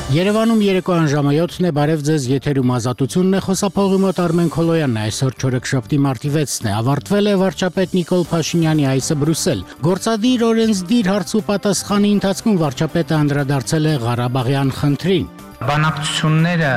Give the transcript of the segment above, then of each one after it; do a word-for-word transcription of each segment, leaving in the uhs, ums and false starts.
Երևանում երեկոյան ժամը յոթն է, բարև ձեզ, եթերում Ազատությունն է, խոսափողի մոտ Արմեն Քոլոյանն է, այսօր չորեքշաբթի մարտի վեցն է, ավարտվել է վարչապետ Նիկոլ Փաշինյանի այցը Բրյուսել։ Գործադիր օրենսդիր հարց ու պատասխանի ընթացքում վարչապետը անդրադարձել է Ղարաբաղյան խնդրին։ Բանակցությունները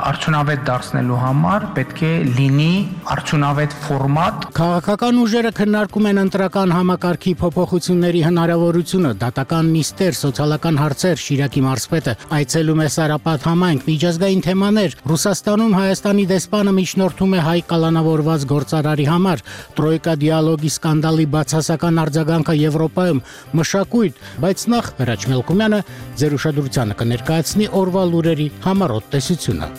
արդյունավետ դարձնելու համար պետք է լինի արդյունավետ ֆորմատ։ Քաղաքական ուժերը քննարկում են ընտրական համակարգի փոփոխությունների հնարավորությունը, դատական նիստեր, սոցիալական հարցեր, Շիրակի մարզպետը այցելում է Սարապատ համայնք, միջազգային թեմաներ, Ռուսաստանում Հայաստանի դեսպանը միջնորդում է հայ կալանավորված գործարարի համար, Տրոյկա դիալոգի սկանդալի բացասական արձագանքը Եվրոպայում, մշակույթ, բայց նախ Հրաչ Մելքումյանը ձեր ուշադրությանը կներկայացնի օրվա լուրերի համառոտ տեսությունը։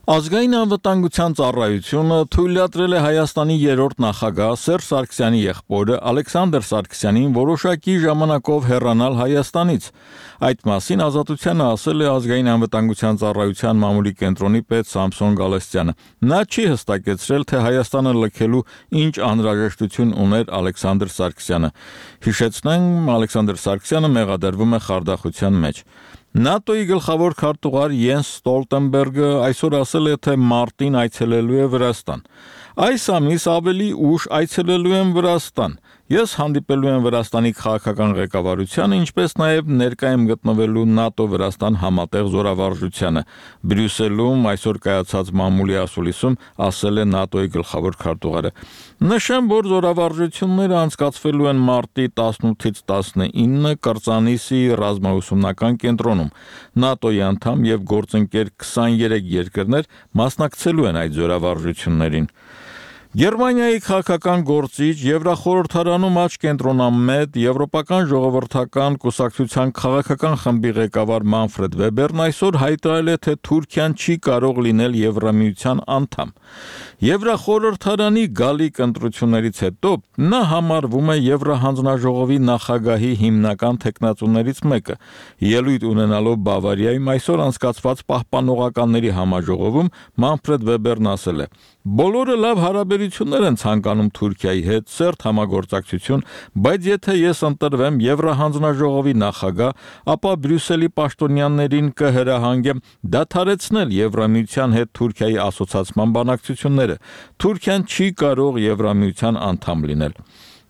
Ազգային անվտանգության ծառայությունը թույլատրել է Հայաստանի երրորդ նախագահ Սերժ Սարգսյանի եղբորը Ալեքսանդր Սարգսյանին որոշակի ժամանակով հեռանալ Հայաստանից։ Այդ մասին Ազատությանը ասել է Ազգային անվտանգության ծառայության մամուլի կենտրոնի պետ Սամսոն Գալստյանը։ Նա չի հստակեցրել, թե Հայաստանը լքելու ինչ անհրաժեշտություն ուներ Ալեքսանդր Սարգսյանը։ Հիշեցնենք, Ալեքսանդր Սարգսյանը մեղադրվում է խարդախության մեջ։ ՆԱՏՕ-ի գլխավոր քարտուղար Յենս Ստոլտենբերգը այսօր ասել է, թե մարտին այցելելու է Վրաստան։ Այս ամիս ավելի ուշ այցելելու եմ Վրաստան։ Ես հանդիպելու եմ Վրաստանի քաղաքական ղեկավարությանը, ինչպես նաև ներկա եմ գտնվելու ՆԱՏՕ-Վրաստան համատեղ զորավարժությանը։ Բրյուսելում այսօր կայացած մամուլի ասուլիսում ասել է ՆԱՏՕ-ի գլխավոր քարտուղարը։ Նշեմ, որ զորավարժությունները անցկացվելու են մարտի տասնութից տասնինը Կրծանիսի ռազմաուսումնական կենտրոնում։ ՆԱՏՕ-ի անդամ եւ գործընկեր քսաներեք երկրներ մասնակցելու են այդ զորավարժություններին։ Գերմանիայի քաղաքական գործիչ, Եվրախորհրդարանում աճ կենտրոնամետ, Եվրոպական ժողովրդական կուսակցության քաղաքական խմբի ղեկավար Մանֆրեդ Վեբերն այսօր հայտարարել է, թե Թուրքիան չի կարող լինել Եվրամիության անդամ։ Եվրախորհրդարանի գալիք ընտրություններից հետո նա համարվում է Եվրահանձնաժողովի նախագահի հիմնական թեկնածուներից մեկը։ Ելույթ ունենալով Բավարիայում այսօր անցկացված պահպանողականների համաժողովում Մանֆրեդ Վեբերն ասել է. «Բոլորը լավ հարաբերություններ են ցանկանում Թուրքիայի հետ, սերտ համագործակցություն, բայց եթե ես ընտրվեմ Եվրահանձնաժողովի նախագահ, ապա Բրյուսելի պաշտոնյաներին կհրահանգեմ դադարեցնել Եվրամիության հետ Թուրքիայի ասոցացման բանակցությունները։ Թուրքիան չի կարող Եվրամիության անդամ լինել»։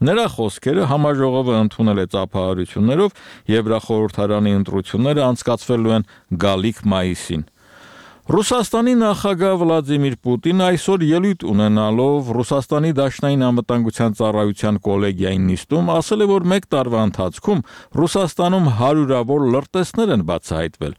Նրա խոսքերը համաժողովը ընդունել է ծափահարություններով, Եվրախորհրդարանի ընտրությունները անցկացվելու են գալիք մայիսին։ Ռուսաստանի նախագահ Վլադիմիր Պուտինը այսօր ելույթ ունենալով Ռուսաստանի Դաշնային անվտանգության ծառայության կոլեգիայի նիստում ասել է, որ մեկ տարվա ընթացքում Ռուսաստանում հարյուրավոր լրտեսներ են բացահայտվել։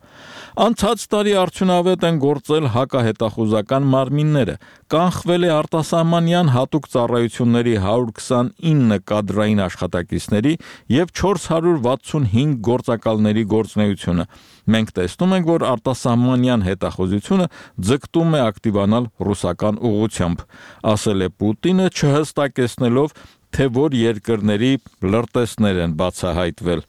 Անցած տարի արդյունավետ են գործել հակահետախուզական մարմինները, կանխվել է արտասահմանյան հատուկ ծառայությունների հարյուր քսանինը կադրային աշխատակիցների և չորս հարյուր վաթսունհինգ գործակալների գործունեությունը։ Մենք տեսնում ենք, որ արտասահմանյան հետախուզությունը ձգտում է ակտիվանալ ռուսական ուղղությամբ, ասել է Պուտինը, չհստակեցնելով, թե որ երկրների լրտեսներ են բացահայտվել։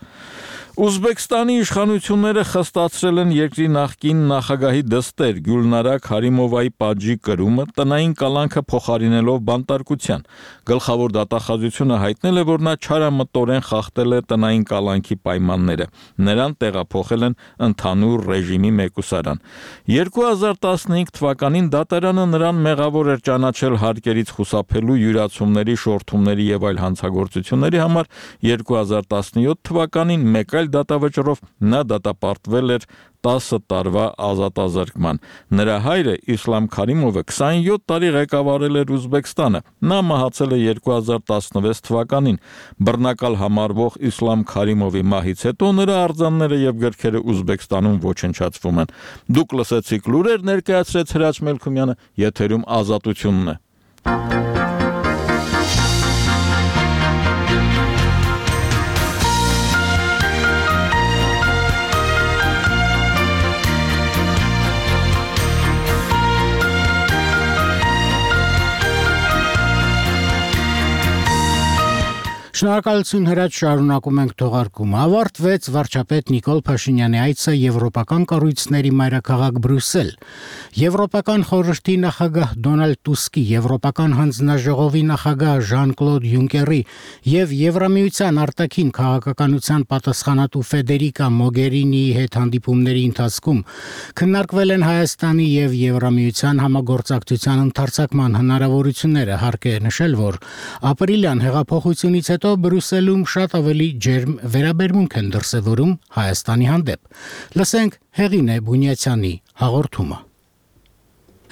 Ուզբեկստանի իշխանությունները խստացրել են երկրի նախկին նախագահի դստեր Գյուլնարա Քարիմովայի պատժի կրումը տնային կալանքը փոխարինելով բանտարկության։ Գլխավոր դատախազությունը հայտնել է, որ նա չարամտորեն խախտել է տնային կալանքի պայմանները։ Նրան տեղափոխել են ընդհանուր ռեժիմի մեկուսարան։ երկու հազար տասնհինգ թվականին դատարանը նրան մեղավոր էր ճանաչել հարկերից խուսափելու, յուրացումների, շորթումների եւ այլ հանցագործությունների համար։ երկու հազար տասնյոթ թվականին մեկ այլ դատավճռով նա դատապարտվել էր տասը տարվա ազատազրկման։ Նրա հայրը Իսլամ Քարիմովը քսանյոթ տարի ղեկավարել էր Ուզբեկստանը։ Նա մահացել է երկու հազար տասնվեց թվականին։ Բռնակալ համարվող Իսլամ Քարիմովի մահից հետո նրա արձանները եւ գրքերը Ուզբեկստանում ոչնչացվում են։ Դուք լսեցիք լուրեր, ներկայացրեց Հրաչ Մելքումյանը, եթերում Ազատությունն է։ Շնորհակալություն հրաչ, շարունակում ենք թողարկումը։ Ավարտվեց վարչապետ Նիկոլ Փաշինյանի այցը եվրոպական կառույցների մայրաքաղաք Բրյուսել։ Եվրոպական խորհրդի նախագահ Դոնալդ Տուսկի, Եվրոպական հանձնաժողովի նախագահ Ժան-Կլոդ Յունկերի եւ Եվրամիության արտաքին քաղաքականության պատասխանատու Ֆեդերիկա Մոգերինիի հետ հանդիպումների ընթացքում քննարկվել են Հայաստանի եւ Եվրամիության համագործակցության ընդարձակման հնարավորությունները, հարկ է նշել, որ ապրիլյան հեղափոխությունից հետո Բրյուսելում շատ ավելի ջերմ վերաբերմունք են դրսևորում Հայաստանի հանդեպ։ Լսենք Հեղինե Բունյացյանի հաղորդումը։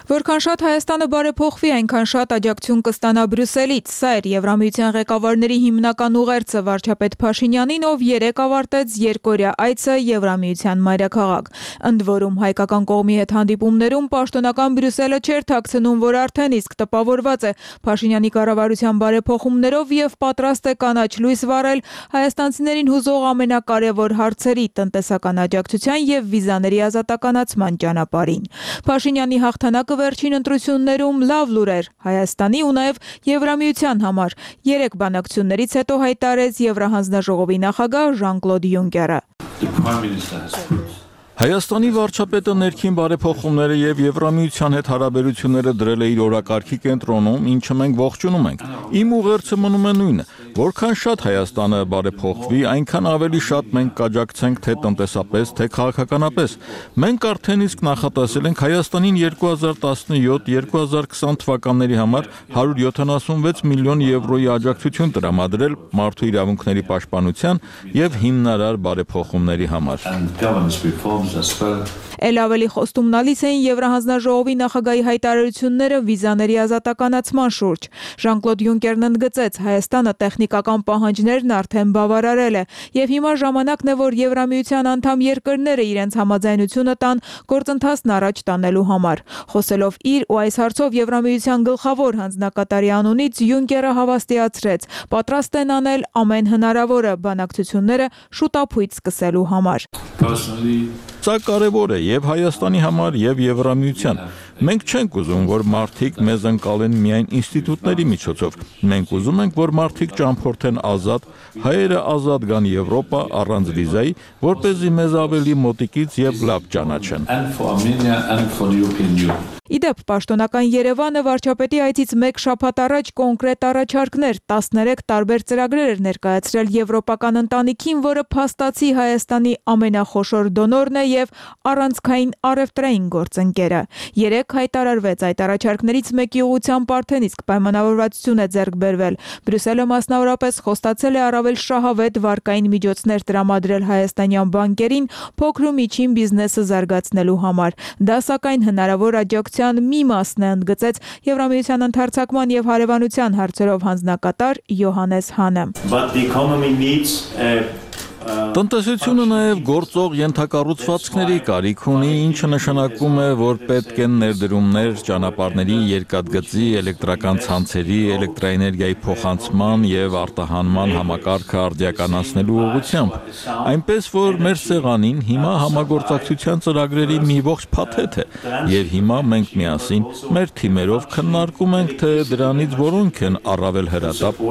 Որքան շատ Հայաստանը բարեփոխվի, այնքան շատ աջակցություն կստանա Բրյուսելից։ Սա էր Եվրամիության ղեկավարների հիմնական ուղերձը վարչապետ Փաշինյանին, ով երեկ ավարտեց երկօրյա այցը Եվրամիության մայրաքաղաք։ Ընդ որում, հայկական կողմի հետ հանդիպումներում պաշտոնական Բրյուսելը չէր թաքցնում, որ արդեն իսկ տպավորված է Փաշինյանի կառավարության բարեփոխումներով եւ պատրաստ է կանաչ լույս վառել հայաստանցիներին հուզող ամենակարևոր հարցերի՝ տնտեսական աջակցության եւ վիզաների ազատականացման ճանապարհին։ Փաշինյանի հաղթանակը վերջին ընտրություններում լավ լուր էր Հայաստանի ու նաև Եվրամիության համար, երեք բանակցություններից հետո հայտարարեց Եվրահանձնաժողովի նախագահ Ժան-Կլոդ Յունկերը։ Հայաստանի վարչապետը ներքին բարեփոխումները եւ Եվրամիության հետ հարաբերությունները դրել է իր օրակարգի կենտրոնում, ինչը մենք ողջունում ենք։ Իմ ուղերձը մնում է նույնը, որքան շատ Հայաստանը բարեփոխվի, այնքան ավելի շատ մենք կաջակցենք թե տնտեսապես, թե քաղաքականապես։ Մենք արդեն իսկ նախատեսել ենք Հայաստանին երկու հազար տասնյոթ երկու հազար քսան թվականների համար հարյուր յոթանասունվեց միլիոն եվրոյի աջակցություն տրամադրել մարդու իրավունքների պաշտպանության եւ հիմնարար բարեփոխումների համար։ Էլ ավելի խոստումնալից էին Եվրահանձնաժողովի նախագահի հայտարարությունները վիզաների ազատականացման շուրջ։ Ժան-Կլոդ Յունկերն ընդգծեց, Հայաստանը տեխնիկական պահանջներն արդեն բավարարել է, եւ հիմա ժամանակն է, որ Եվրամիության անդամ երկրները իրենց համաձայնությունը տան գործընթացն առաջ տանելու համար։ Խոսելով իր ու այս հարցով Եվրամիության գլխավոր հանձնակատարի անունից Յունկերը հավաստիացրեց, պատրաստ են անել ամեն հնարավորը բանակցությունները շուտապույտ սկսելու համար։ Սա կարևոր է եւ Հայաստանի համար եւ Եվրամիության։ Մենք չենք ուզում, որ մարդիկ մեզ ընկալեն միայն ինստիտուտների միջոցով։ Մենք ուզում ենք, որ մարդիկ ճամփորդեն ազատ, հայերը ազատ գան Եվրոպա առանց վիզայի, որպեսզի մեզ ավելի մոտիկից եւ լավ ճանաչեն։ Իդեպ, պաշտոնական Երևանը վարչապետի այցից մեկ շաբաթ առաջ կոնկրետ առաջարկներ, տասներեք տարբեր ծրագրեր էր ներկայացրել եվրոպական ընտանիքին, որը փաստացի Հայաստանի ամենախոշոր դոնորն է եւ առանցքային առևտրային գործընկերը։ Երեք հայտարարվեց այդ առաջարկներից մեկի ուղղությամբ արդեն իսկ պայմանավորվածություն է ձեռք բերվել։ Բրյուսելը մասնավորապես խոստացել է առավել շահավետ վարկային միջոցներ տրամադրել հայաստանյան բանկերին փոքր ու միջին բիզնեսը զարգացնելու համար։ Դա սակայն հնարավոր աջակցության մի մասն է, ընդգծեց Եվրամիության ընդարձակման եւ հարևանության հարցերով հանձնակատար Յոհանես Հանը։ Տնտեսությունը նաև գործող ենթակառուցվածքների կարիք ունի, ինչը նշանակում է, որ պետք են ներդրումներ ճանապարհների, երկաթգծի, էլեկտրական ցանցերի, էլեկտրաէներգիայի փոխանցման եւ արտահանման համակարգը արդիականացնելու ուղղությամբ։ Այնպես որ մեր սեղանին հիմա համագործակցության ծրագրերի մի ողջ փաթեթ է, եւ հիմա մենք միասին մեր թիմերով քննարկում ենք, թե դրանից որոնք են առավել հրատապ։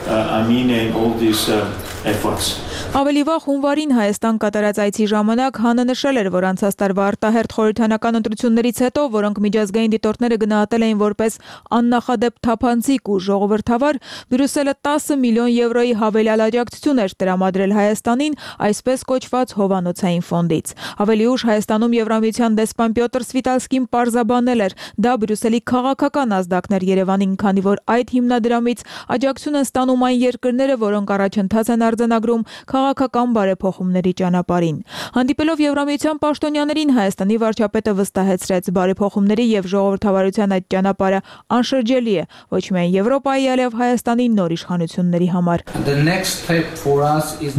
I mean in all these uh, efforts. Ավելի վաղ հունվարին Հայաստան կատարած այցի ժամանակ Հանը նշել էր, որ անցած տարվա արտահերթ խորհրդանական ընտրություններից հետո, որոնք միջազգային դիտորդները գնահատել էին որպես աննախադեպ թափանցիկ ու ժողովրդավար, Բրյուսելը տասը միլիոն եվրոյի հավելյալ աջակցություն էր տրամադրել Հայաստանին այսպես կոչված հովանոցային ֆոնդից։ Ավելի ուշ Հայաստանում Եվրամիության դեսպան Պյոտր Սվիտալսկին պարզաբանել էր, դա Բրյուսելի քաղաքական ազդակն էր Երևանին, քանի որ այդ հիմնադրամից աջակցություն են ստանում այն երկրները, որոնք առաջընթաց են արձանագրում քաղաքական բարեփոխումների ճանապարհին։ Հանդիպելով Եվրամիության պաշտոնյաներին, Հայաստանի վարչապետը վստահեցրեց, բարեփոխումների եւ ժողովրդավարության այդ ճանապարհը անշրջելի է ոչ միայն Եվրոպայի, այլև Հայաստանի նոր իշխանությունների համար։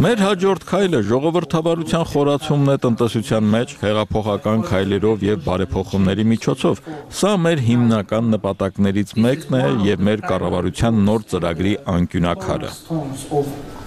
Մեր հաջորդ քայլը ժողովրդավարության խորացումն է տնտեսության մեջ հեղափոխական քայլերով եւ բարեփոխումների միջոցով։ Սա մեր հիմնական նպատակներից մեկն է եւ մեր կառավարության նոր ծրագրի անկյունաքարը։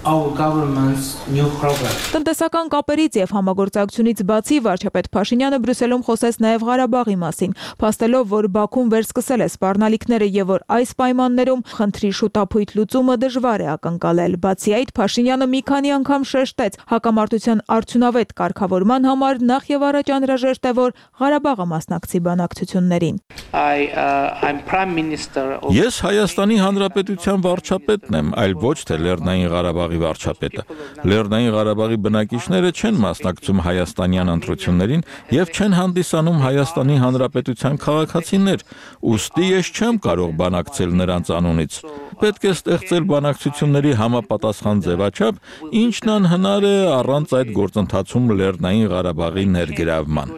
our government's new program. Տնտեսական կապերից եւ համագործակցությունից բացի վարչապետ Փաշինյանը Բրյուսելում խոսեց նաեւ Ղարաբաղի մասին, փաստելով, որ Բաքուն վերսկսել է սպառնալիքները եւ որ այս պայմաններում խնդրի շուտափույթ լուծումը դժվար է ակնկալել։ Բացի այդ, Փաշինյանը մի քանի անգամ շեշտեց հակամարտության արդյունավետ կարգավորման համար նախ եւ առաջ անհրաժեշտ է, որ Ղարաբաղը մասնակցի բանակցություններին։ I uh, I'm Prime Minister of Ես Հայաստանի Հանրապետության վարչապետն եմ, այլ ոչ թե Լեռնային Ղարաբաղի վարչապետը։ Լեռնային Ղարաբաղի բնակիչները չեն մասնակցում հայաստանյան ընտրություններին եւ չեն հանդիսանում Հայաստանի Հանրապետության քաղաքացիներ, ուստի ես չեմ կարող բանակցել նրանց անունից։ Պետք է ստեղծել բանակցությունների համապատասխան ձևաչափ, ինչն անհնար է առանց այդ գործընթացում Լեռնային Ղարաբաղի ներգրավման։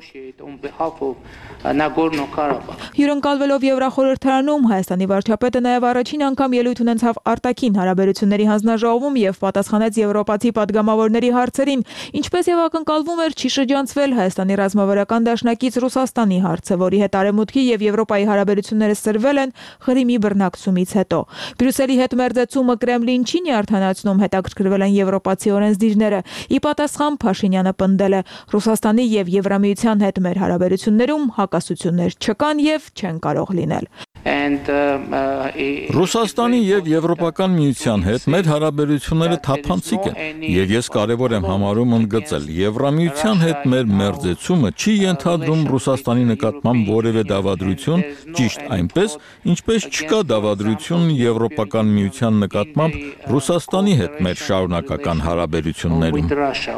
Հյուրընկալվելով Եվրախորհրդարանում Հայաստանի վարչապետը նաև առաջին անգամ ելույթ ունեցավ արտաքին հարաբերությունների հանձնաժողովում եւ պատասխանեց եվրոպացի падգամավորների հարցերին, ինչպես եւ ակնկալվում էր, չի շրջանցվել Հայաստանի ռազմավարական դաշնակից Ռուսաստանի հարցը, որի հետ Արևմուտքի եւ Եվրոպայի հարաբերությունները սրվել են Ղրիմի բռնակցումից հետո։ Բրյուսելի հետ մերձեցումը Կրեմլին չի արդանացնում, հետաքրքրվել են եվրոպացի օրենսդիրները։ Ի պատասխան Փաշինյանը պնդել է Ռուսաստանի եւ Եվրամիության հետ մեր հարաբերություններում հակասություններ չկան եւ չեն կարող լինել։ and uh, uh, Ռուսաստանի եւ Եվրոպական միության հետ մեր հարաբերությունները թափանցիկ են եւ ես կարեւոր եմ համարում ընդգծել Եվրամիության հետ մեր մերձեցումը չի ենթադրում Ռուսաստանի նկատմամբ որևէ դավադրություն, ճիշտ այնպես, ինչպես չկա դավադրություն Եվրոպական միության նկատմամբ Ռուսաստանի հետ մեր շարունակական հարաբերություններում։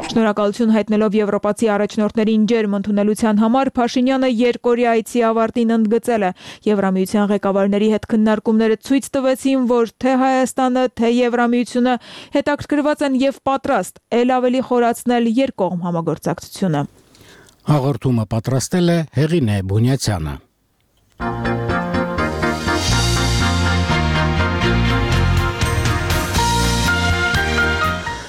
Շնորհակալություն հայտնելով եվրոպացի առաջնորդներին ջերմ ընդունելության համար Փաշինյանը երկօրյա այցի ավարտին ընդգծել է Եվրամիության ղեկավարների հետ քննարկումները ցույց տվեցին, որ թե Հայաստանը, թե Եվրամիությունը հետաքրքրված են եւ պատրաստ ել ավելի խորացնել երկկողմ համագործակցությունը։ Հաղորդումը պատրաստել է Հեղինե Բունյացյանը։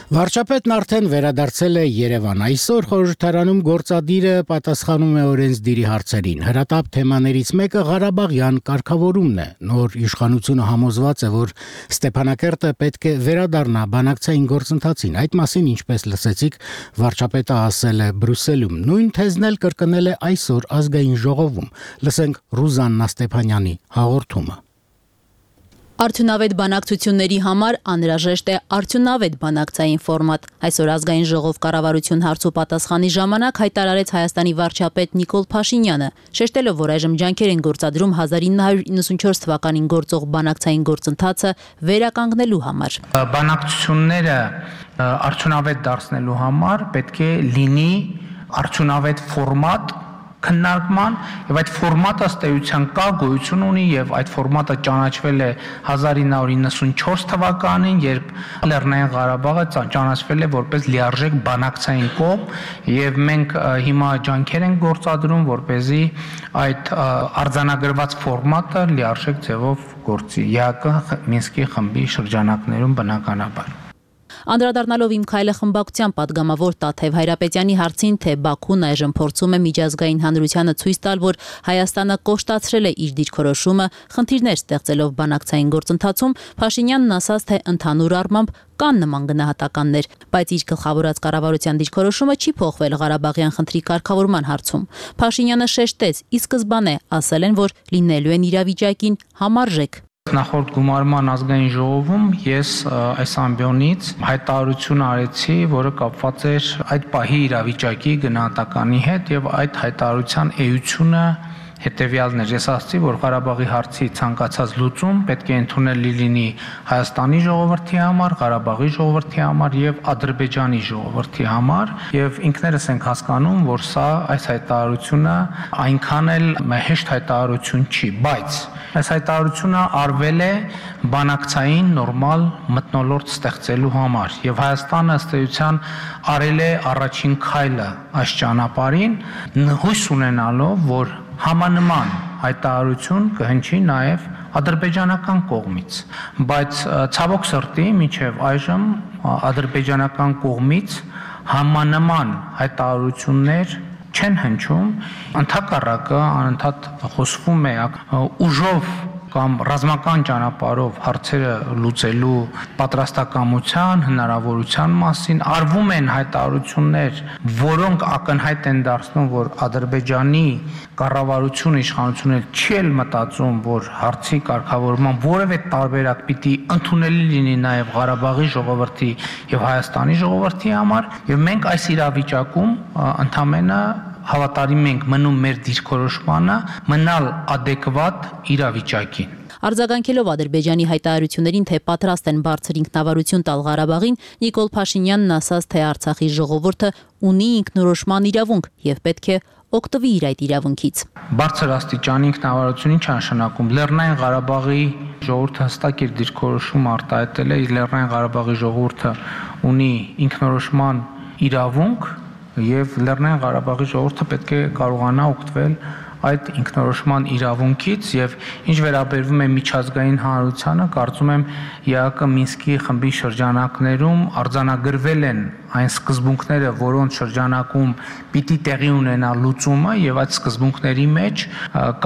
Վարչապետն արդեն վերադարձել է Երևան։ Այսօր խորհրդարանում գործադիրը պատասխանում է օրենսդիրի հարցերին։ Հրատապ թեմաներից մեկը Ղարաբաղյան կարգավորումն է։ Նոր իշխանությունը համոզված է, որ Ստեփանակերտը պետք է վերադառնա բանակցային գործընթացին։ Այդ մասին, ինչպես լսեցիք, վարչապետը ասել է Բրյուսելում։ Նույն թեզն էլ կրկնել է այսօր ազգային ժողովում։ Լսենք Ռուզաննա Ստեփանյանի հաղորդումը։ Արդյունավետ բանակցությունների համար անհրաժեշտ է արդյունավետ բանակցային ֆորմատ։ Այսօր ազգային ժողով կառավարություն հարցու պատասխանի ժամանակ հայտարարեց Հայաստանի վարչապետ Նիկոլ Փաշինյանը, շեշտելով, որ այժմ ջանքեր են գործադրում հազար ինը հարյուր իննսունչորս թվականին գործող բանակցային գործընթացը վերականգնելու համար։ Բանակցությունները արդյունավետ դարձնելու համար պետք է լինի արդյունավետ ֆորմատ քննարկման եւ այդ ֆորմատը ըստ էության կա գոյություն ունի եւ այդ ֆորմատը ճանաչվել է հազար ինը հարյուր իննսունչորս թվականին, երբ Լեռնային Ղարաբաղը ճանաչվել է որպես լիարժեք բանակցային կողմ եւ մենք հիմա ջանքեր ենք գործադրում, որպեսզի այդ արձանագրված ֆորմատը լիարժեք ձևով գործի ԵԱԿ Մինսկի խմբի շրջանակներում բնականաբար։ Անդրադառնալով Իմ քայլը խմբակցության падգամավոր Տաթև Հայրապետյանի հարցին, թե Բաքուն այժմ փորձում է միջազգային հանրությանը ցույց տալ, որ Հայաստանը կոշտացրել է իր դիրքորոշումը, խնդիրներ ստեղծելով բանակցային գործընթացում, Փաշինյանն ասաց, թե ընդհանուր առմամբ կան նման գնահատականներ, բայց իր գլխավորած կառավարության դիրքորոշումը չի փոխվել Ղարաբաղյան խնդրի կարգավորման հարցում։ Փաշինյանը շեշտեց, ի սկզբանե ասել են, որ լինելու են իրավիճակին համարժեք։ Նախորդ գումարման ազգային ժողովում ես այս ամբիոնից հայտարարություն արեցի, որը կապված էր այդ պահի իրավիճակի գնահատականի հետ եւ այդ հայտարարության էությունը հետեւյալն էր։ Ես ասացի, որ Ղարաբաղի հարցի ցանկացած լուծում պետք է ընդունելի լինի Հայաստանի ժողովրդի համար, Ղարաբաղի ժողովրդի համար եւ Ադրբեջանի ժողովրդի համար եւ ինքներս ենք հասկանում, որ սա այս հայտարարությունը այնքան էլ հեշտ հայտարարություն չի, բայց այս հայտարարությունը արվել է բանակցային նորմալ մթնոլորտ ստեղծելու համար եւ Հայաստանը ըստ էության արել է առաջին քայլը այս ճանապարհին, հույս ունենալով, որ Համանման հայտարարություն կհնչի նաև ադրբեջանական կողմից, բայց ցավոք սրտի մինչև այժմ ադրբեջանական կողմից համանման հայտարարություններ չեն հնչում, ընդհակառակը անընդհատ խոսվում է ուժով կամ ռազմական ճանապարհով հարցերը լուծելու պատրաստակամության, հնարավորության մասին արվում են հայտարարություններ, որոնք ակնհայտ են դարձնում, որ Ադրբեջանի կառավարությունը, իշխանությունը չի էլ մտածում, որ հարցի կարգավորման որևէ տարբերակ պիտի ընդունելի լինի նաև Ղարաբաղի ժողովրդի եւ Հայաստանի ժողովրդի համար, եւ մենք այս իրավիճակում ընդամենը հավատարիմ ենք մնում մեր դիրքորոշմանը, մնալ adekvat իրավիճակին։ Արձագանքելով Ադրբեջանի հայտարարություններին, թե պատրաստ են բարձր ինքնավարություն տալ Ղարաբաղին, Նիկոլ Փաշինյանն ասաց, թե Արցախի ժողովուրդը ունի ինքնորոշման իրավունք եւ պետք է օգտվի իր այդ իրավունքից։ Բարձր աստիճանի ինքնավարություն ինչ նշանակում։ Լեռնային Ղարաբաղի ժողովուրդը հստակ իր դիրքորոշումը արտահայտել է, Լեռնային Ղարաբաղի ժողովուրդը ունի ինքնորոշման իրավունք եւ Լեռնային Ղարաբաղի ժողովուրդը պետք է կարողանա օգտվել այդ ինքնորոշման իրավունքից եւ ինչ վերաբերվում է միջազգային հանրությանը, կարծում եմ ԵԱԿ Մինսկի խմբի շրջանակներում արձանագրվել են այն սկզբունքները, որոնց շրջանակում պիտի տեղի ունենա լուծումը եւ այդ սկզբունքների մեջ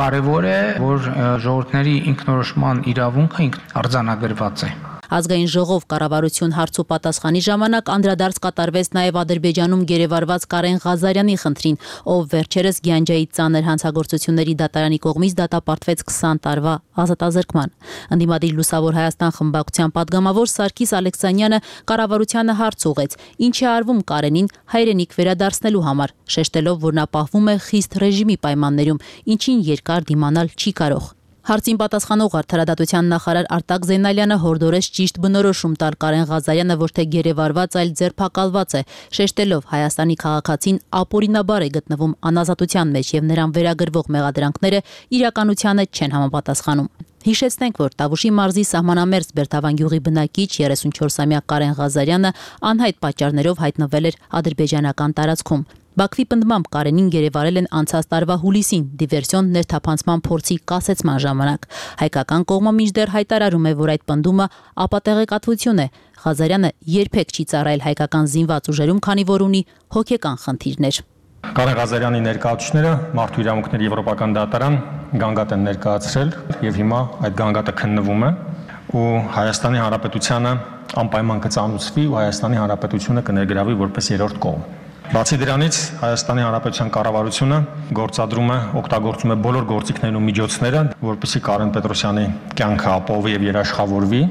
կարեւոր է, որ ժողովուրդների ինքնորոշման իրավունքը արձանագրված է։ Ազգային ժողով կառավարություն հարցու պատասխանի ժամանակ անդրադարձ կատարվեց նաև Ադրբեջանում գերեվարված Կարեն Ղազարյանի խնդրին, ով վերջերս Գյանջայի ծանր հանցագործությունների դատարանի կողմից դատապարտվեց քսան տարվա ազատազրկման։ Ընդդիմադիր Լուսավոր Հայաստան խմբակցության падգամավոր Սարգիս Ալեքսանյանը կառավարությանը հարց ուղղեց, ինչ է արվում Կարենին հայրենիք վերադարձնելու համար, շեշտելով, որ նա պահվում է խիստ ռեժիմի պայմաններում, ինչին երկար դիմանալ չի կարող։ Հարցին պատասխանող արդարադատության նախարար Արտակ Զեյնալյանը հորդորեց ճիշտ բնորոշում տալ Կարեն Ղազարյանը, ոչ թե գերեվարված, այլ ձերբակալված է, շեշտելով Հայաստանի քաղաքացին ապօրինաբար է գտնվում անազատության մեջ եւ նրան վերագրվող մեղադրանքները իրականությանը չեն համապատասխանում։ Հիշեցնենք, որ Տավուշի մարզի սահմանամերձ Բերդավան գյուղի բնակիչ երեսունչորսամյա Կարեն Ղազարյանը անհայտ պատճառներով հայտնվել էր ադրբեջանական տարածքում։ Բաքվի պնդմամբ Կարենին գերեվարել են անցած տարվա հուլիսին դիվերսիոն ներթափանցման փորձի կասեցման ժամանակ։ Հայկական կողմը մինչդեռ հայտարարում է, որ այդ պնդումը ապատեղեկատվություն է։ Ղազարյանը երբեք չի ծառայել հայկական զինված ուժերում, քանի որ ունի հոգեկան խնդիրներ։ Կարեն Ղազարյանի ներկայացուցիչները Մարդու իրավունքների եվրոպական դատարան գանգատ են ներկայացրել եւ հիմա այդ գանգատը քննվում է ու Հայաստանի Հանրապետությանը անպայման կծանուցվի ու Հայաստանի Հանրապետությունը կներգրավի որպես երրորդ կողմ։ Բացի դրանից Հայաստանի Հանրապետության կառավարությունը գործադրում է, օգտագործում է բոլոր գործիքներն ու միջոցները, որպեսզի Կարեն Պետրոսյանի կյանքը ապահովի եւ երաշխավորվի։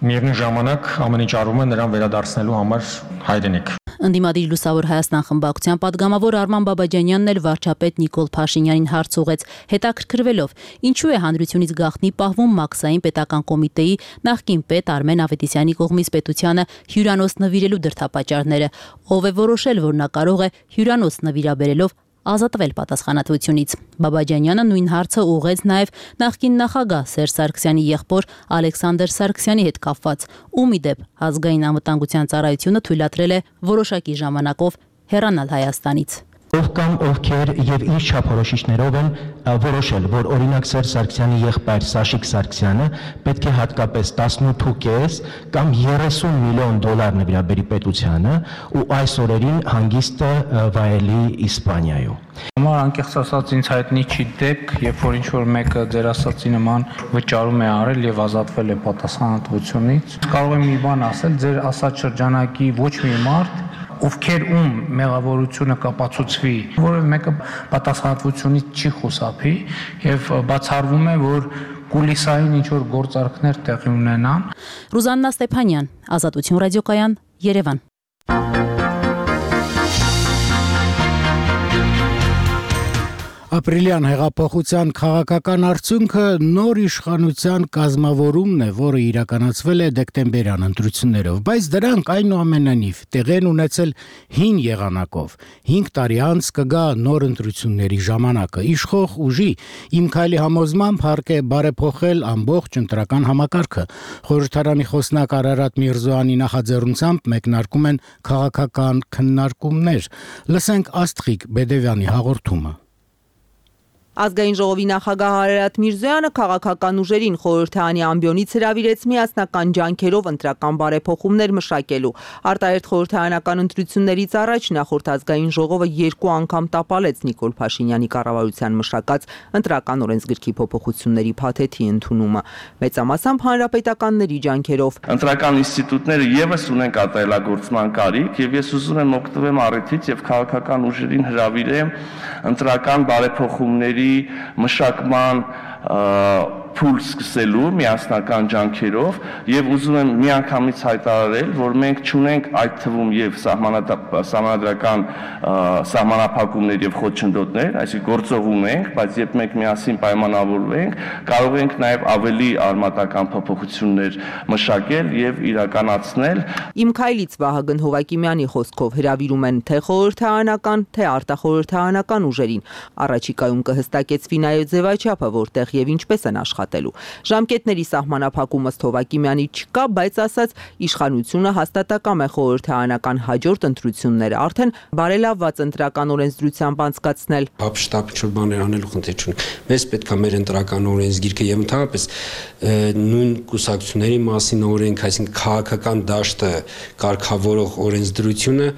Միևնույն ժամանակ ամեն ինչ արվում է նրան վերադարձնելու համար հայրենիք։ Ընդդիմադիր Լուսավոր Հայաստան խմբակցության падգամավոր Արման Բաբաջանյանն էլ վարչապետ Նիկոլ Փաշինյանին հարց ուղղեց, հետաքրքրվելով, ինչու է հանրությունից գաղտնի պահվում Մաքսային պետական կոմիտեի նախկին պետ Արմեն Ավետիսյանի կողմից պետությանը հյուրանոց նվիրելու դրդապատճառները, ով է որոշել, որ նա կարող է հյուրանոց նվիրաբերելով ազատվել պատասխանատվությունից։ Բաբաջանյանը նույն հարցը ուղղեց նաև նախկին նախագահ Սերժ Սարգսյանի եղբոր Ալեքսանդր Սարգսյանի հետ կապված, ում ի դեպ ազգային անվտանգության ծառայությունը թույլատրել է որոշակի ժամանակով հեռանալ Հայաստանից։ Ով կամ ովքեր եւ իր չափորոշիչներով են որոշել, որ օրինակ Սերժ Սարգսյանի եղբայր Սաշիկ Սարգսյանը պետք է հատկապես տասնութ կես կամ երեսուն միլիոն դոլար նվիրաբերի պետությանը ու այս օրերին հանգիստը վայելի Իսպանիայում։ Համար անկեղծ ասած ինձ հայտնի չի դեպք, երբ որ ինչ-որ մեկը ձեր ասածի նման վճարում է արել եւ ազատվել է պատասխանատվությունից։ Կարող եմ մի բան ասել, ձեր ասած շրջանակի ոչ մի մարդ ովքեր ում մեղավորությունը կապացուցվի, որը մեկը պատասխանատվությունից չի խուսափի եւ բացառվում է, որ կուլիսային ինչ-որ գործարքներ տեղի ունենան։ Ռուզաննա Ստեփանյան, Ազատություն ռադիոկայան, Երևան։ Ապրիլյան հեղափոխության քաղաքական արդյունքը նոր իշխանության կազմավորումն է, որը իրականացվել է դեկտեմբերյան ընտրություններով, բայց դրանք այնուամենայնիվ տեղի են ունեցել հին եղանակով։ հինգ տարի անց կգա նոր ընտրությունների ժամանակը։ Իշխող ուժի Իմ քայլի համոզմամբ հարկ է բարեփոխել ամբողջ ընտրական համակարգը։ Խորհրդարանի խոսնակ Արարատ Միրզոյանի նախաձեռնությամբ մեկնարկում են քաղաքական քննարկումներ։ Լսենք Աստղիկ Բեդևյանի հաղորդումը։ Ազգային ժողովի նախագահ Արարատ Միրզոյանը քաղաքական ուժերին խորհրդարանի ամբիոնից հրավիրեց միասնական ջանքերով ընտրական բարեփոխումներ մշակելու։ Արտահերթ խորհրդարանական ընտրություններից առաջ նախորդ ազգային ժողովը երկու անգամ տապալեց Նիկոլ Փաշինյանի կառավարության մշակած ընտրական օրենսգրքի փոփոխությունների փաթեթի ընդունումը։ Մեծամասամբ հանրապետականների ջանքերով։ Ընտրական ինստիտուտները եւս ունեն կատարելագործման կարիք, եւ ես ուզում եմ օգտվեմ առիթից եւ քաղաքական ուժերին հրավիրեմ ընտրական բարեփոխումների մշակման փուլ սկսելու միասնական ջանքերով եւ ուզում եմ միանգամից հայտարարել, որ մենք ճունենք այդ թվում եւ սահմանադրական սահմանափակումներ եւ խոչընդոտներ, այսինքն գործողում ենք, բայց երբ մենք միասին պայմանավորվենք, կարող ենք նաեւ ավելի արմատական փոփոխություններ մշակել եւ իրականացնել։ Իմ քայլից Վահագն Հովակիմյանի խոսքով հրավիրում են թե խորհրդարանական, թե արտախորհրդարանական ուժերին։ Առաջիկայում կհստակեցվի նաեւ ձևաչափը, որտեղ եւ ինչպես են աշխատելու։ Ժամկետների սահմանափակումը Հովակիմյանի չկա, բայց ասած իշխանությունը հաստատակամ է խորհրդարանական հաջորդ ընտրությունները արդեն բարելավված ընտրական օրենսդրությամբ անցկացնել։ Հապշտապ ինչ-որ բաներ անելու խնդիր չունի։ Մեզ պետք է մեր ընտրական օրենսգիրքը եւ ընդհանրապես նույն կուսակցությունների մասին օրենք, այսինքն քաղաքական դաշտը կարգավորող օրենսդրությունը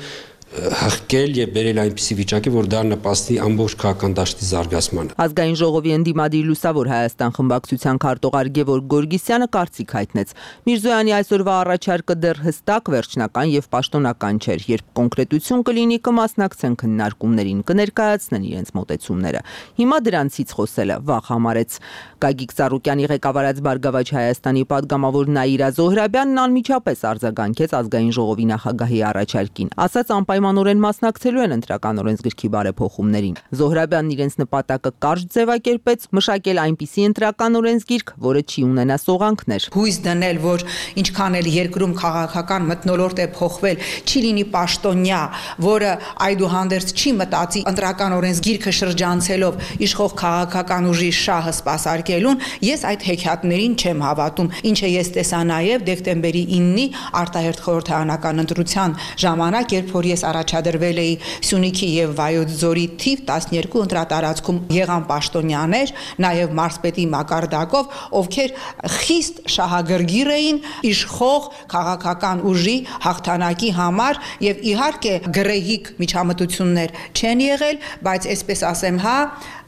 հղկել եւ բերել այնպիսի վիճակի, որ դա նպաստի ամբողջ քաղաքական դաշտի զարգացմանը։ Ազգային ժողովի ընդդիմադիր Լուսավոր Հայաստան խմբակցության քարտուղար Գևորգ Գորգիսյանը կարծիք հայտնեց։ Միրզոյանի այսօրվա առաջարկը դեռ հստակ, վերջնական եւ պաշտոնական չէր, երբ կոնկրետություն կլինի, կմասնակցեն քննարկումներին, կներկայացնեն իրենց մոտեցումները։ Հիմա դրանցից խոսելը վաղ համարեց։ Գագիկ Ծառուկյանի ղեկավարած Բարգավաճ Հայաստանի падգամավոր Նաիրա Զոհրաբյանն անմիջապես արձագանքեց ազգային ժողովի նախագահի առաջարկին։ Ասաց անպայմանորեն մասնակցելու են ընտրական օրենսգրքի բարեփոխումներին։ Զոհրաբյանն իրենց նպատակը կարճ ձևակերպեց մշակել այնպիսի ընտրական օրենսգիրք, որը չի ունենա սողանքներ։ Հույս դնել, որ ինչքան էլ երկրում քաղաքական մթնոլորտ է փոխվել, չի լինի պաշտոնյա, որը այդուհանդերձ չի մտածի ընտրական օրենսգիրքը շրջանցելով իշխող քաղաքական ուժի շահը սպասարկելուն, ես այդ հեքիաթներին չեմ հավատում, ինչը ես տեսա նաև դեկտեմբերի իննի արտահերթ խորհրդարանական ընտրության ժամանակ, երբ որ ես առաջադրվել էի Սյունիքի եւ Վայոց ձորի թիվ տասներկու ընտրատարածքում եղան պաշտոնյաներ, նաև մարզպետի մակարդակով, ովքեր խիստ շահագրգիռ էին իշխող քաղաքական ուժի հաղթանակի համար եւ իհարկե գրեհիկ միջամտություններ չեն եղել, բայց այսպես ասեմ, հա,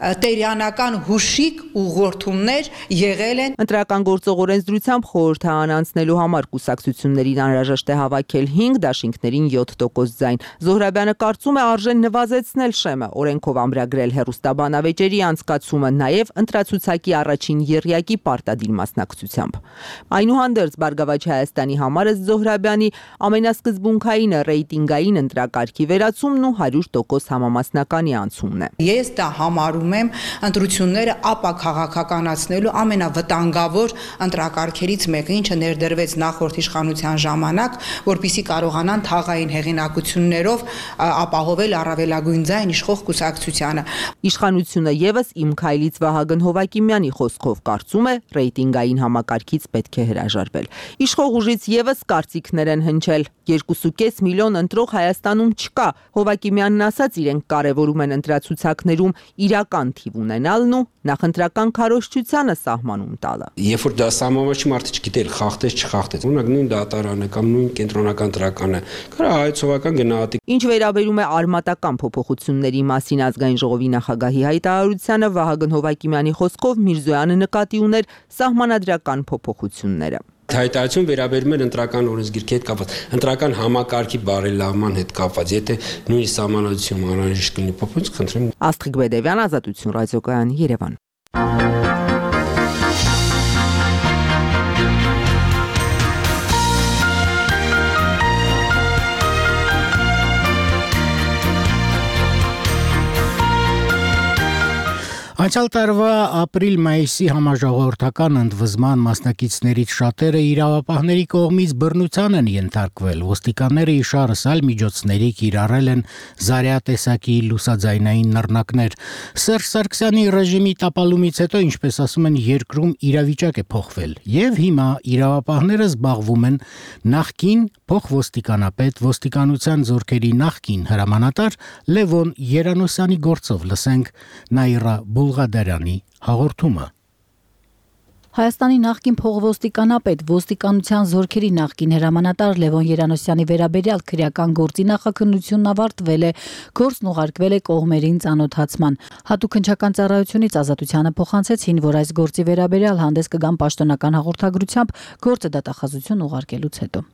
տերյանական հուշիկ ուղղորդումներ եղել են։ Ընտրական գործող օրենսդրությամբ խորհրդարան անցնելու համար կուսակցություններին անհրաժեշտ է հավաքել հինգ, դաշինքներին յոթ տոկոս ձայն։ Զոհրաբյանը կարծում է արժեն նվազեցնել շեմը, օրենքով ամրագրել հեռուստաբանավեճերի անցկացումը, նաև ընտրացուցակի առաջին եռյակի պարտադիր մասնակցությամբ։ Այնուհանդերձ Բարգավաճ Հայաստանի համար Զոհրաբյանի ամենասկզբունքայինը ռեյտինգային ընտրակարգի վերացումն ու հարյուր տոկոս համամասնականի անցումն է։ Ես դա համարում եմ ընտրությունները ապա քաղաքականացնելու ամենավտանգավոր ընտրակարգերից մեկը, ինչը ներդրվեց նախորդ իշխանության ժամանակ, որպիսի կարողանան թաղային հեղինակություններով ապահովել առավելագույն ձայն իշխող կուսակցությանը։ Իշխանությունը եւս Իմ քայլից Վահագն Հովակիմյանի խոսքով կարծում է ռեյտինգային համակարգից պետք է հրաժարվել։ Իշխող ուժից եւս կարծիքներ են հնչել։ երկու կես միլիոն ընտրող Հայաստանում չկա։ Հովակիմյանն ասաց, իրենք կարևորում են ընտրացուցակներում իրական թիվ ունենալն ու նախընտրական քարոզչությանը սահմանում տալը։ Երբ որ դա սահմանված մարդը չգիտեր խախտեց, չխախտեց, օրինակ նույն դատարանը կամ նույն կենտրոնական տրականը, կարա հայցողական գնահատի։ Ինչ վերաբերում է արմատական փոփոխությունների մասին ազգային ժողովի նախագահի հայտարարությանը, Վահագն Հովակիմյանի խոսքով Միրզոյանը նկատի ուներ սահմանադրական փոփոխությունները։ Հայտարարություն վերաբերում էր ընտրական օրենսգիրքի հետ կապված, ընտրական համակարգի բարելավման հետ կապված, եթե նույն սահմանադրություն անհրաժեշտ կլինի փոփոխություն, խնդրեմ։ Աստղիկ Բեդևյան, Ազատություն ռադիոկայան, Երևան։ Անցյալ տարվա ապրիլ-մայիսի համաժողովրդական ընդվզման մասնակիցներից շատերը իրավապահների կողմից բռնության են ենթարկվել։ Ոստիկանները իշարս այլ միջոցների կիրառել են զարյատեսակի լուսաձայնային նռնակներ։ Սերժ Սարգսյանի ռեժիմի տապալումից հետո, ինչպես ասում են, երկրում իրավիճակ է փոխվել, եւ հիմա իրավապահները զբաղվում են նախկին փոխոստիկանապետ, ոստիկանության զորքերի նախկին հրամանատար Լևոն Երանոսյանի գործով։ Լսենք Նաիրա Բուլղադարյանի հաղորդումը։ Հայաստանի նախկին փոխոստիկանապետ ոստիկանության զորքերի նախկին հրամանատար Լևոն Երանոսյանի վերաբերյալ քրեական գործի նախաքննությունն ավարտվել է, գործն ուղարկվել է կողմերին ծանոթացման։ Հատուկ քննչական ծառայությունից ազատությանը փոխանցեցին, որ այս գործի վերաբերյալ հանդես կգան պաշտոնական հաղորդագրությամբ գործը դատախազություն ուղարկելուց հետո։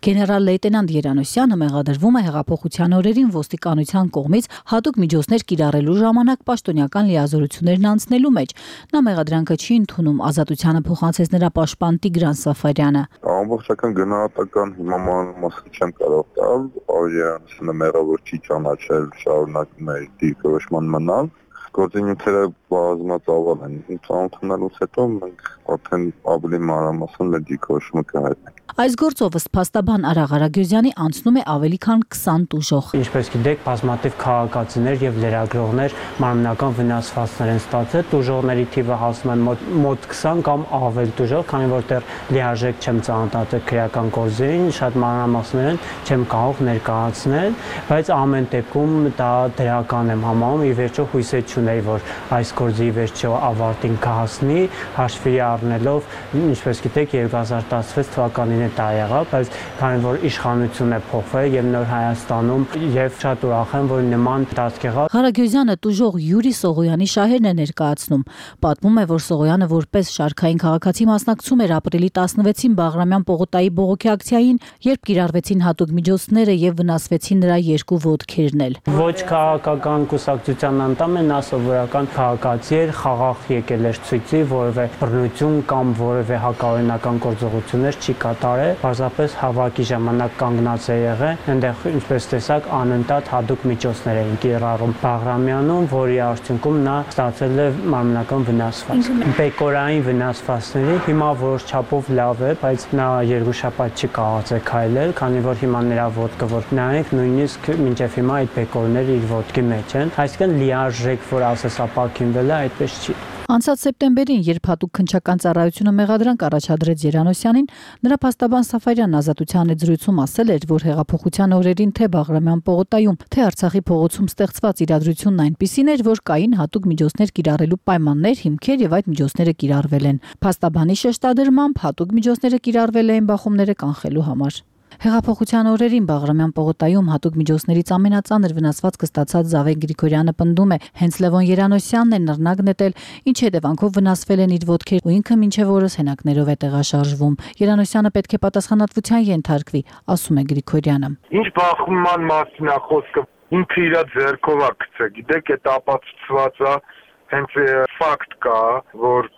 Գեներալ լեյտենանտ Երանոսյանը մեղադրվում է հեղափոխության օրերին ոստիկանության կողմից հատուկ միջոցներ կիրառելու ժամանակ պաշտոնական լիազորություններն անցնելու մեջ։ Նա մեղադրանքը չի ընդունում, ազատությանը փոխանցեց նրա պաշտպան Տիգրան Սաֆարյանը։ Ամբողջական գնահատական հիմա մասը չեմ կարող տալ, Երանոսյանը մեղավոր չի ճանաչել, շարունակում է դիրքորոշման մնալ։ Գործունեությունը բազմածավալ են։ Ծանոթանալուց հետո մենք արդեն ավելի մանրամասն մեր դիրքորոշումը կհայտնենք։ Այս գործով ըստ փաստաբան Արա Ղարագյուզյանի անցնում է ավելի քան քսան տուժող։ Ինչպես գիտեք, բազմաթիվ քաղաքացիներ եւ լրագրողներ մարմնական վնասվածքներ են ստացել։ Տուժողների թիվը հասնում է մոտ քսան կամ ավել տուժող, քանի որ դեռ լիարժեք չեմ ծանոթացել քրեական գործերին, շատ մանրամասներն չեմ կարող ներկայացնել, բայց ամեն դեպքում դա դրական եմ համարում, ի վերջո հույսեր չունեի, որ այս գործի վերջո ավարտին կհասնի, հաշվի առնելով, ինչպես գիտեք, երկու հազար տասնվեց թվականին դա եղավ, բայց քանի որ իշխանությունն է փոխվել եւ նոր Հայաստանում եւ շատ ուրախ եմ, որ նման դասք եղավ։ Ղարագյուզյանը տուժող Յուրի Սողոյանի շահերն է ներկայացնում։ Պատմում է, որ Սողոյանը որպես շարքային քաղաքացի մասնակցում էր ապրիլի տասնվեցին Բաղրամյան պողոտայի բողոքի ակցիային, երբ կիրառվեցին հատուկ միջոցները եւ վնասվեցին նրա երկու ոտքերն էլ։ Ոչ քաղաքական կուսակցության անդամ է, նա սովորական քաղաքացի էր, խաղաղ եկել էր ցույցի, որևէ բռնություն կամ որևէ հակաօրինական գործողություններ չի կատարել, պարզապես հավաքի ժամանակ կանգնած է եղել, այնտեղ ինչպես տեսակ անընդհատ հատուկ միջոցներ էին կիրառում Բաղրամյանում, որի արդյունքում նա ստացել է մարմնական վնասվածք։ Բեկորային վնասվածքների հիմա որոշ չափով լավ է, բայց նա երկու շաբաթ չի կարողացել քայլել, քանի որ հիմա նրա ոտքը որ նայեք, նույնիսկ մինչև հիմա այդ բեկորները իր ոտքի մեջ են, այսինքն լիարժեք, որ ասես ապակինվել է, այդպես չի։ Անցած սեպտեմբերին, երբ հատուկ քննչական ծառայությունը մեղադրանք առաջադրեց Երանոսյանին, նրա փաստաբան Սաֆարյանն ազատության զրույցում ասել էր, որ հեղափոխության օրերին թե Բաղրամյան պողոտայում, թե Արցախի փողոցում ստեղծված իրադրությունն այնպիսին էր, որ կային հատուկ միջոցներ կիրառելու պայմաններ, հիմքեր եւ այդ միջոցները կիրառվել են։ Փաստաբանի շեշտադրմամբ հատուկ միջոցները կիրառվել են բախումները կանխելու համար։ Հեղափոխության օրերին Բաղրամյան պողոտայում հատուկ միջոցներից ամենածանր վնասվածքը ստացած Զավեն Գրիգորյանը պնդում է, հենց Լևոն Երանոսյանն է նռնակ նետել, ինչ հետևանքով վնասվել են իր ոտքեր ու ինքը մինչև օրս հենակներով է տեղաշարժվում։ Երանոսյանը պետք է պատասխանատվության ենթարկվի, ասում է Գրիգորյանը։ Ինչ բախումման մասին է խոսքը, ինքը իր ձեռքով է գցել, գիտեք, այդ ապացուցված է, հենց ֆակտ կա, որ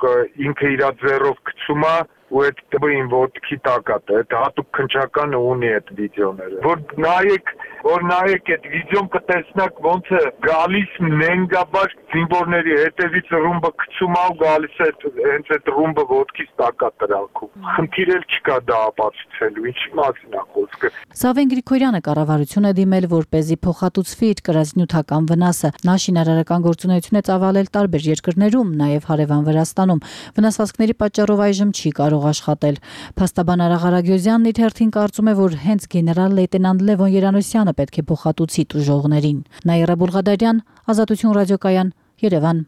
ինքը իր ձեռով գցում է ու այդ տվին ոտքի տակատ է, այդ հատուկ քնչականը ունի այդ վիդեոները, որ նայեք, որ նայեք այդ վիդեոն կտեսնակ ոնց է գալիս նենգաբար զինվորների հետևից ռումբը գցում է ու գալիս է հենց այդ ռումբը ոտքից տակատ տրակում։ Խնդիր էլ չկա դա ապացուցելու, ինչի մասին է խոսքը։ Զավեն Գրիգորյանը կառավարություն է դիմել, որպեսզի փոխհատուցվի իր կրած նյութական վնասը։ Նա շինարարական գործունեություն է ծավալել տարբեր երկրներում, նաև հարևան Վրաստանում։ Վնասվածքների պատճառով այժմ չի կարող աշխատել։ Փաստաբան Արա Ղարագյուզյանն իր հերթին կարծում է, որ հենց գեներալ լեյտենանտ Լևոն Երանոսյանը պետք է փոխհատուցի տուժողներին։ Նաիրա Բուլղադարյան, Ազատություն ռադիոկայան, Երևան։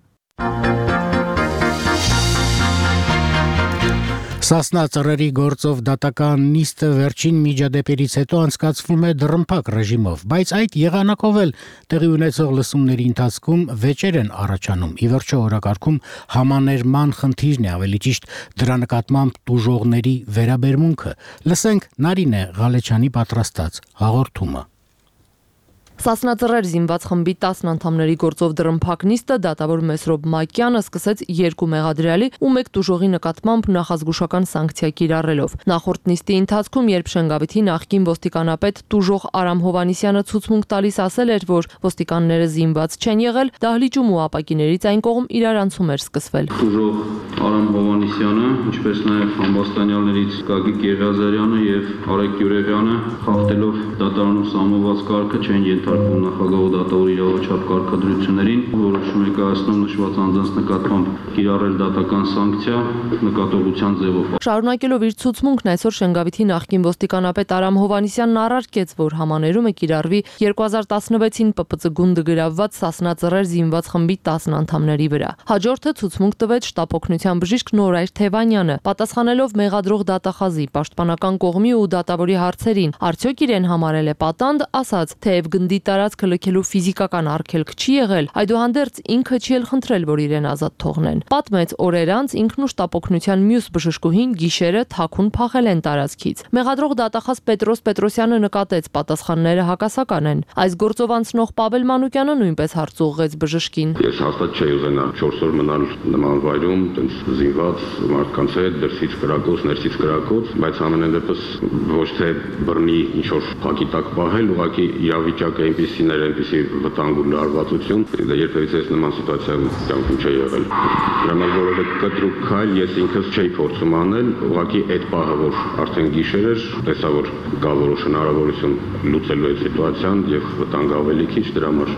Սասնա ծռերի գործով դատական նիստը վերջին միջադեպերից հետո անցկացվում է դռնփակ ռեժիմով, բայց այդ եղանակով էլ տեղի ունեցող լսումների ընթացքում վեճեր են առաջանում։ Ի վերջո օրակարգում համաներման խնդիրն է, ավելի ճիշտ դրա նկատմամբ տուժողների վերաբերմունքը։ Լսենք Նարինե Ղալեչյանի պատրաստած հաղորդումը։ Սասնածռեր զինված խմբի տասն անդամների գործով դռնփակ նիստը դատավոր Մեսրոբ Մակյանը սկսեց երկու մեղադրյալի ու մեկ տուժողի նկատմամբ նախազգուշական սանկցիա կիրառելով։ Նախորդ նիստի ընթացքում, երբ Շենգավիթի նախկին ոստիկանապետ տուժող Արամ Հովանիսյանը ցուցմունք տալիս ասել էր, որ ոստիկանները զինված չեն եղել, դահլիճում ու ապակիներից այն կողմ իրարանցում էր սկսվել։ Տուժող Արամ Հովանիսյանը, ինչպես նաև համբաստանյալներից Գագիկ Եղիազարյանը եւ Արեգ Յուրեղյանը, խախտելով դատարանում սահմանված կարգը չեն ենթարկվում նախագահ դատավոր իրավաչափ կարգադրություններին, որոշում է կայացնում նշված անձանց նկատմամբ կիրառել դատական սանկցիա նկատողության ձևով։ Շարունակելով իր ցուցմունքն այսօր Շենգավիթի նախկին ոստիկանապետ Արամ Հովհաննիսյանն առարկեց, որ համաներումը կիրառվի երկու հազար տասնվեցին Պ Պ Ծ գունդը գրավված Սասնա-Ծռեր զինված խմբի տասն անդամների վրա։ Հաջորդը ցուցմունք տվեց շտապօգնության բժիշկ Նորայր Թևանյանը, պատասխանելով մեղադրող դատախազի պաշտպանական կողմի ու դատավորի հարցերին, արդյոք իրեն համարել է պատանդ, ասաց, թեև գնդի տարածքը լքելու ֆիզիկական արգելք չի եղել, այդուհանդերձ ինքը չի էլ խնդրել, որ իրեն ազատ թողնեն։ Պատմեց օրեր անց ինքն ու շտապօգնության մյուս բժշկուհին գիշերը թաքուն փախել են տարածքից։ Մեղադրող դատախազ Պետրոս Պետրոսյանը նկատեց պատասխանները հակասական են։ Այս գործով անցնող Պավել Մանուկյանը նույնպես հարց ուղղեց բժշկին։ Ես հաստատ չէի ուզենա չորս օր մնալ նման վայրում, տենց զինված մարդկանց հետ, դրսից կրակոց, ներսից կրակոց, բայց ամենայն դեպս ոչ թե բռնի ինչ որ փակի տակ պահել, ուղղակի իրավիճակը այնպեսին էր, այնպեսի վտանգ ու լարվածություն, դա երբևիցե նման սիտուացիայում կյանքում չի եղել։ Ժամանակ որևէ կտրուկ քայլ ես ինքս չէի փորձում անել, ուղղակի այդ պահը, որ արդեն գիշեր էր, տեսա որ կա որոշ հնարավորություն լուծելու այդ սիտուացիան եւ վտանգ ավելի քիչ, դրա համար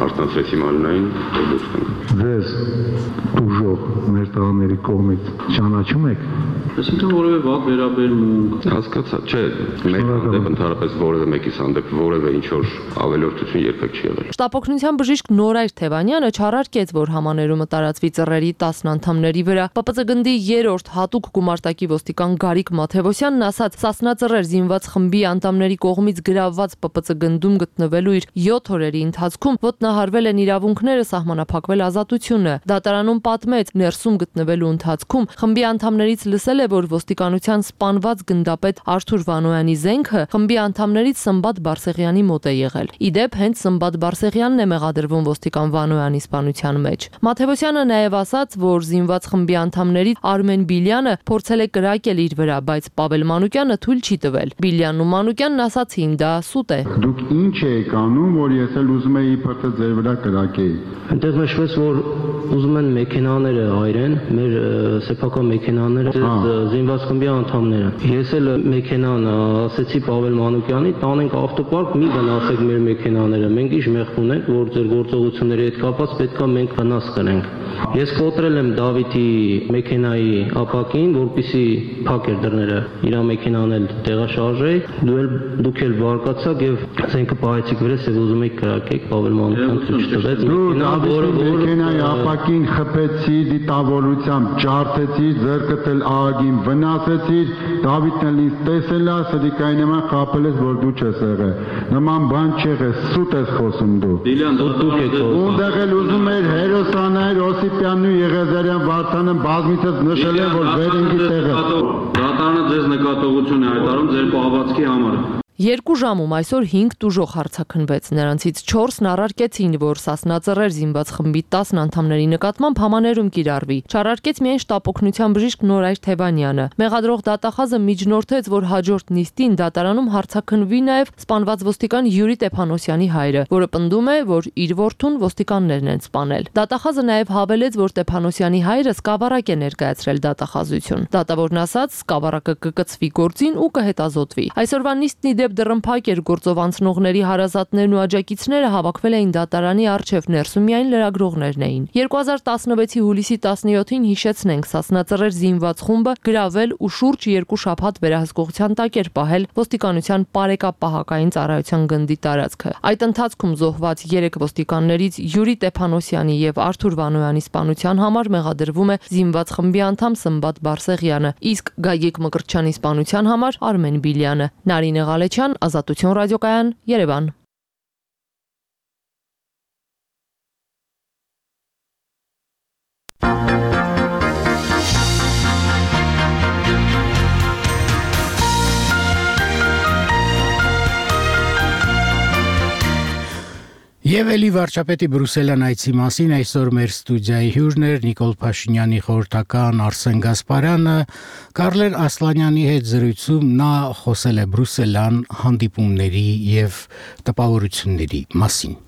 արտանցեցի մարմնային ու դուրս գանք։ Ձեզ դուժող մեր տղաների կողմից ճանաչում եք։ Այսինքն որևէ վատ վերաբերմունք, հասկացա, չէ, մեկ հանդեպ ընդհանրապես որևէ մեկից հանդեպ որևէ ինչ որ ավելորդություն երբեք չի եղել։ Շտապօգնության բժիշկ Նորայր Թևանյանը չարարկեց, որ համաներումը տարածվի Ծռերի տասն անդամների վրա։ Պ Պ Ծ գնդի երրորդ հատուկ գումարտակի ոստիկան Գարիկ Մաթևոսյանն ասաց, Սասնա-Ծռեր զինված խմբի անդամների կողմից գրավված Պ Պ Ծ գնդում գտնվելու իր յոթ օրերի ընթացքում ոտնահարվել են իրավունքները, սահմանափակվել ազատությունը։ Դատարանում պատմեց, ներսում գտնվելու ընթացքում խմբի անդամներից լսել է, որ ոստիկանության սպանված գնդապետ Արթուր Վանոյանի զենքը խմբի անդամներից Սմբատ Բարսեղյանի մոտ է եղել։ Իդեպ հենց Սմբատ Բարսեղյանն է մեղադրվում ոստիկան Վանոյանի սպանության մեջ։ Մաթևոսյանը նաև ասաց, որ զինված խմբի անդամներից Արմեն Բիլյանը փորձել է կրակել իր վրա, բայց Պավել Մանուկյանը թույլ չի տվել։ Բիլյանն ու Մանուկյանն ասացին, դա սուտ է։ Դուք ինչ եք անում, որ ես էլ ուզում եի իբրտը ձեր վրա կրակեի։ Այնտեղ նշվեց, որ ուզում են մեքենաները այրեն, մեր սեփական մեքենաները, զինված խմբի անդամները։ Ես էլ մեքենան ասեցի Պավել Մանուկյանի, տանենք ավտոպարկ, մի վնասեք մեր մեքենաները։ Մենք ինչ մեղք ունենք, որ ձեր գործողությունների հետ կապված պետքա մենք վնաս կրենք։ Ես կոտրել եմ Դավիթի մեքենայի ապակին, որպեսզի փակ էր դռները, իր մեքենան էլ տեղաշարժեի, դու էլ դուք էլ բարկացաք եւ զենքը պահեցիք վրես եւ ուզում եք կրակեք, Պավել Մանուկյան ցույց տվեց մեքենայի ապակին խփեցի, դիտավորությամբ ջարդեցի, ձեռքդ էլ ահագին վնասեցի, Դավիթն էլ ինձ տեսել է, սրիկայի նման խաբել ես, որ դու չես եղել։ Նման բան չեղե, սուտ ես խոսում դու։ Ունդեղ էլ ուզում էր հերոսաներ Օսիպյանն ու Եղեզարյան Վարդանը բազմիցս նշել են, որ վերինգի տեղը։ Դատարանը ձեզ նկատողություն է հայտարարում ձեր պահվածքի համար։ Երկու ժամում այսօր հինգ տուժող հարցաքննվեց, նրանցից չորսն առարկեցին, որ Սասնա-Ծռեր զինված խմբի տասն անդամների նկատմամբ համաներում կիրառվի։ Չարարկեց միայն շտապօգնության բժիշկ Նորայր Թևանյանը։ Մեղադրող դատախազը միջնորդեց, որ հաջորդ նիստին դատարանում հարցաքննվի նաև սպանված ոստիկան Յուրի Տեփանոսյանի հայրը, որը պնդում է, որ իր որդուն ոստիկաններն են սպանել։ Դատախազը նաև հավելեց, որ Տեփանոսյանի հայրը սկավառակ է ներկայացրել դատախազություն։ Դատավորն ասաց, սկավառակը կկցվի գործին ու կհետազոտվի։ Այսօրվա նիստն իդեպ դռնփակ էր, գործով անցնողների հարազատներն ու աջակիցները հավաքվել էին դատարանի առջև, ներսում միայն լրագրողներն էին։ երկու հազար տասնվեցի հուլիսի տասնյոթին հիշեցնենք, Սասնա-Ծռեր զինված խումբը գրավել ու շուրջ երկու շաբաթ վերահսկողության տակ էր պահել ոստիկանության Պարեկապահակային ծառայության գնդի տարածքը։ Այդ ընթացքում զոհված երեք ոստիկաններից Յուրի Տեփանոսյանի եւ Արթուր Վանոյանի սպանության համար մեղադրվում է զինված խմբի անդամ Սմբատ Բարսեղյանը, իսկ Գագիկ Մկրտչյանի սպանության համար Արմեն Բիլյանը։ Նարինե Ղալեչյան, Ազատություն ռադիոկայան, Երևան։ Եվ էլի վարչապետի Բրուսելյան այցի մասին այսօր մեր ստուդիայի հյուրն էր Նիկոլ Փաշինյանի խորհրդական Արսեն Գասպարյանը, Կարլեր Ասլանյանի հետ զրույցում նա խոսել է Բրուսելյան հանդիպումների եւ տպավորությունների մասին։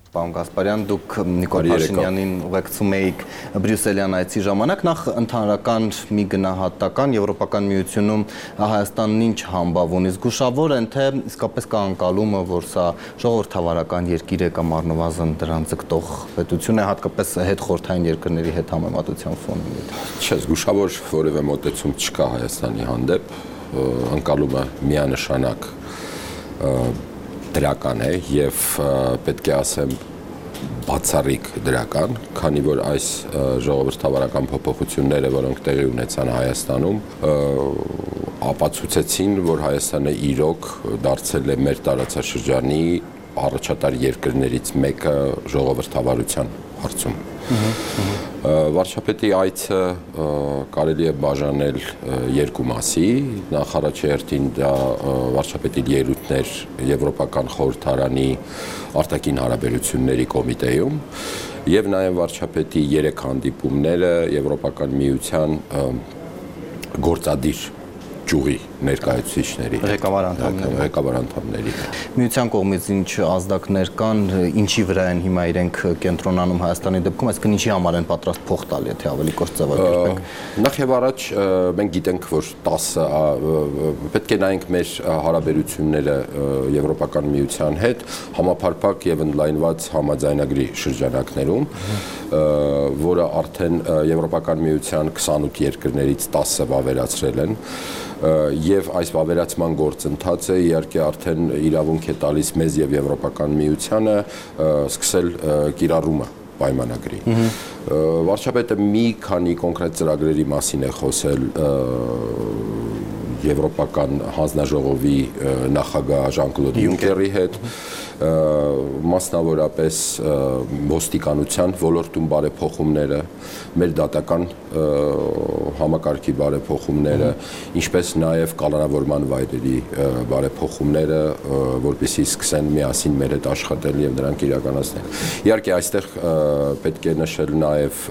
Պարոն Գասպարյան, դուք Նիկոլ Փաշինյանին ուղեկցում եք Բրյուսելյան այցի ժամանակ, նախ ընդհանրական մի գնահատական Եվրոպական միությունում Հայաստանն ինչ համբավ ունի, զգուշավոր են, թե իսկապես կա անկալումը, որ սա ժողովրդավարական երկիր է կամ առնվազն դրան ձգտող պետություն է, հատկապես հետխորհրդային երկրների հետ համեմատության ֆոնին։ Չէ, զգուշավոր որևէ մոտեցում չկա Հայաստանի հանդեպ, անկալումը միանշանակ դրական է եւ պետք է ասեմ բացառիկ դրական, քանի որ այս ժողովրդավարական փոփոխությունները, որոնք տեղի ունեցան Հայաստանում, ապացուցեցին, որ Հայաստանը իրոք դարձել է մեր տարածաշրջանի առաջատար երկրներից մեկը ժողովրդավարության հարցում։ Վարչապետի այցը կարելի է բաժանել երկու մասի, նախ առաջերտին դա վարչապետի ելույթներ Եվրոպական խորհրդարանի արտաքին հարաբերությունների կոմիտեում եւ նաեւ վարչապետի երեք հանդիպումները Եվրոպական միության գործադիր ճյուղի ներկայացուցիչների, ղեկավար անդամների, ղեկավար անդամների։ Միության կողմից ինչ ազդակներ կան, ինչի վրա են հիմա իրենք կենտրոնանում Հայաստանի դեպքում, այսինքն ինչի համար են պատրաստ փող տալ, եթե ավելի կոշտ ձևակերպենք։ Նախ եւ առաջ մենք գիտենք, որ տասը պետք է նայենք մեր հարաբերությունները Եվրոպական միության հետ համապարփակ եւ ընդլայնված համաձայնագրի շրջանակներում, որը արդեն Եվրոպական միության քսանութ երկրներից տասը վավերացրել են եւ այս վավերացման գործընթացը իհարկե արդեն իրավունք է տալիս մեզ եւ Եվրոպական միությանը սկսել կիրառումը պայմանագրի։ Վարչապետը մի քանի կոնկրետ ծրագրերի մասին է խոսել Եվրոպական հանձնաժողովի նախագահ Ժան-Կլոդ Յունկերի հետ, մասնավորապես ոստիկանության ոլորտում բարեփոխումները, մեր դատական համակարգի բարեփոխումները, ինչպես նաև կալանավորման վայրերի բարեփոխումները, որպեսզի սկսեն միասին մեր հետ աշխատել եւ դրանք իրականացնել։ Իհարկե այստեղ պետք է նշել նաև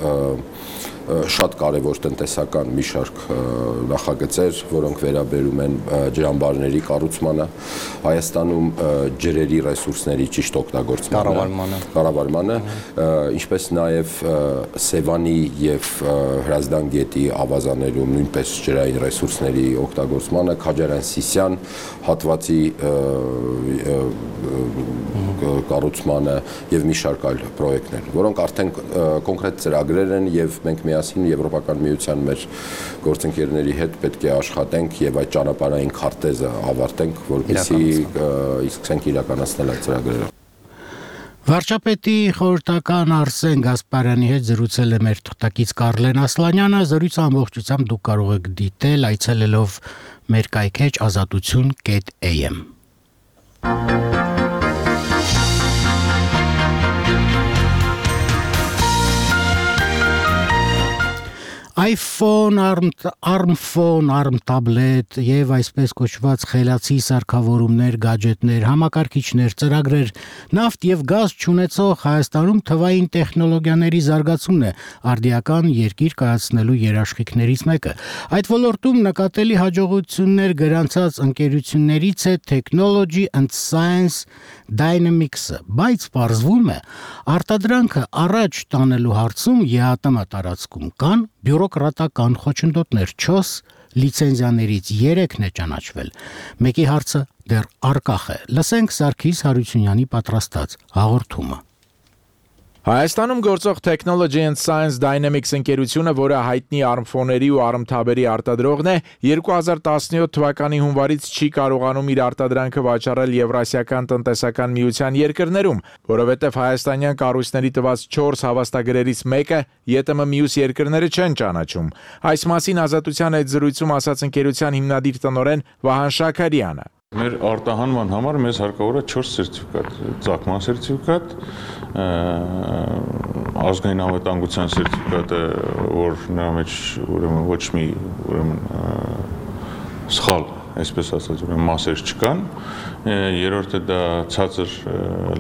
շատ կարևոր տնտեսական մի շարք նախագծեր, որոնք վերաբերում են ջրամբարների կառուցմանը, Հայաստանում ջրերի ռեսուրսների ճիշտ օգտագործմանը, կառավարմանը, ինչպես նաև Սևանի եւ Հրազդան գետի ավազաներում նույնպես ջրային ռեսուրսների օգտագործմանը, Քաջարյան-Սիսյան հատվածի կառուցմանը եւ մի շարք այլ պրոյեկտներ, որոնք արդեն կոնկրետ ծրագրեր են եւ մենք միասին Եվրոպական միության մեր գործընկերների հետ պետք է աշխատենք եւ այդ ճանապարհային քարտեզը ավարտենք, որպեսզի սկսենք իրականացնել այդ ծրագրերը։ Վարչապետի խորհրդական Արսեն Գասպարյանի հետ զրուցել է մեր թղթակից Կարլեն Ասլանյանը, զրույցը ամբողջությամբ դուք կարող եք դիտել այցելելով մեր կայքեջ ազատություն կետ էյ էմ։ iPhone, ARM, ARM phone, ARM tablet եւ այսպես կոչված խելացի սարքավորումներ, գadgetներ, համակարգիչներ, ծրագրեր, նավթ եւ գազ չունեցող Հայաստանում թվային տեխնոլոգիաների զարգացումն է արդիական երկիր կայացնելու երաշխիքներից մեկը։ Այդ ոլորտում նկատելի հաջողություններ գրանցած ընկերություններից է Technology and Science Dynamics-ը, բայց պարզվում է, արտադրանքը առաջ տանելու հարցում ԵԱՏՄ տարածքում կան բյուրոկրատական խոչընդոտներ, չորս լիցենզիաներից երեքն է ճանաչվել։ Մեկի հարցը դեռ առկախ է։ Լսենք Սարգիս Հարությունյանի պատրաստած հաղորդումը։ Հայաստանում գործող Technology and Science Dynamics ընկերությունը, որը հայտնի ARM ֆոների ու ARM թաբերի արտադրողն է, երկու հազար տասնյոթ թվականի հունվարից չի կարողանում իր արտադրանքը վաճառել Եվրասիական տնտեսական միության երկրներում, որովհետև հայաստանյան կառույցների տված չորս հավաստագրերից մեկը ԵՏՄ մյուս երկրները չեն ճանաչում։ Այս մասին Ազատության այդ զրույցում ասաց ընկերության հիմնադիր տնօրեն Վահան Շաքարյանը։ Մեր արտահանման համար մեզ հարկավոր է չորս սերտիֆիկատ, ծագման սերտիֆիկատ, ազգային անվտանգության սերտիֆիկատը, որ նրա մեջ ուրեմն ոչ մի ուրեմն սխալ, այսպես ասած, ուրեմն մասեր չկան, երրորդը դա ցածր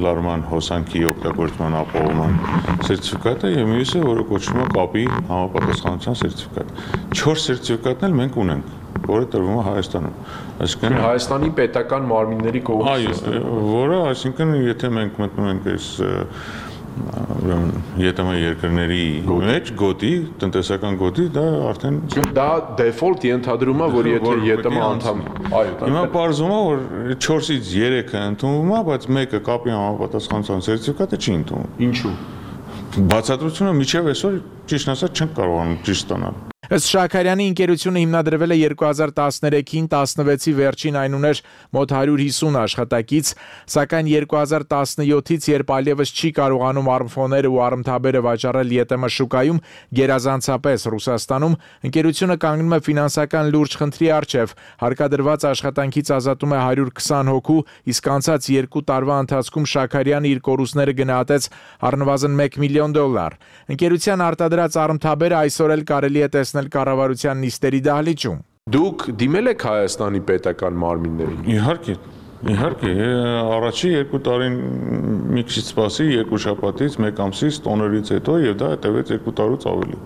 լարման հոսանքի օգտագործման ապահովման սերտիֆիկատը եւ մյուսը, որը կոչվում է կապի համապատասխանության սերտիֆիկատ։ չորս սերտիֆիկատն էլ մենք ունենք։ որը տրվում է Հայաստանում։ Այսինքն Հայաստանի պետական մարմինների կողմից, որը, այսինքն, եթե մենք մտնում ենք այս ուրեմն ԵՏՄ երկրների մեջ գոտի, տնտեսական գոտի, դա արդեն դա դեֆոլտ ենթադրում է, որ եթե ԵՏՄ անդամ է։ Այո, հիմա պարզվում է, որ չորսից երեքը ընդունվում է, բայց մեկը կապի համապատասխանության սերտիֆիկատը չի ընդունվում։ Ինչու՞։ Բացատրությունը միջև այսօր ճիշտ ասած չենք կարողանում ճիշտ ստանալ։ Ըստ Շաքարյանի ընկերությունը հիմնադրվել է երկու հազար տասներեքին տասնվեցի վերջին այն ուներ մոտ հարյուր հիսուն աշխատակից, սակայն երկու հազար տասնյոթից, երբ այլևս չի կարողանում արմֆոները ու արմթաբերը վաճառել ԵՏՄ շուկայում, գերազանցապես Ռուսաստանում, ընկերությունը կանգնում է ֆինանսական լուրջ խնդրի առջև, հարկադրված աշխատանքից ազատում է հարյուր քսան հոգու, իսկ անցած երկու տարվա ընթացքում Շաքարյանը իր կորուստները գնահատեց առնվազն մեկ միլիոն դոլար։ Ընկերության արտադրած արմթաբերը այսօր էլ կարելի է տեսնել կառավարության նիստերի դահլիճում։ Դուք դիմել եք Հայաստանի պետական մարմիններին։ Իհարկե, իհարկե, առաջի երկու տարին մի քիչ սպասի, երկու շաբաթից, մեկ ամսից, տոներից հետո եւ դա հետեւեց երկու տարուց ավելի։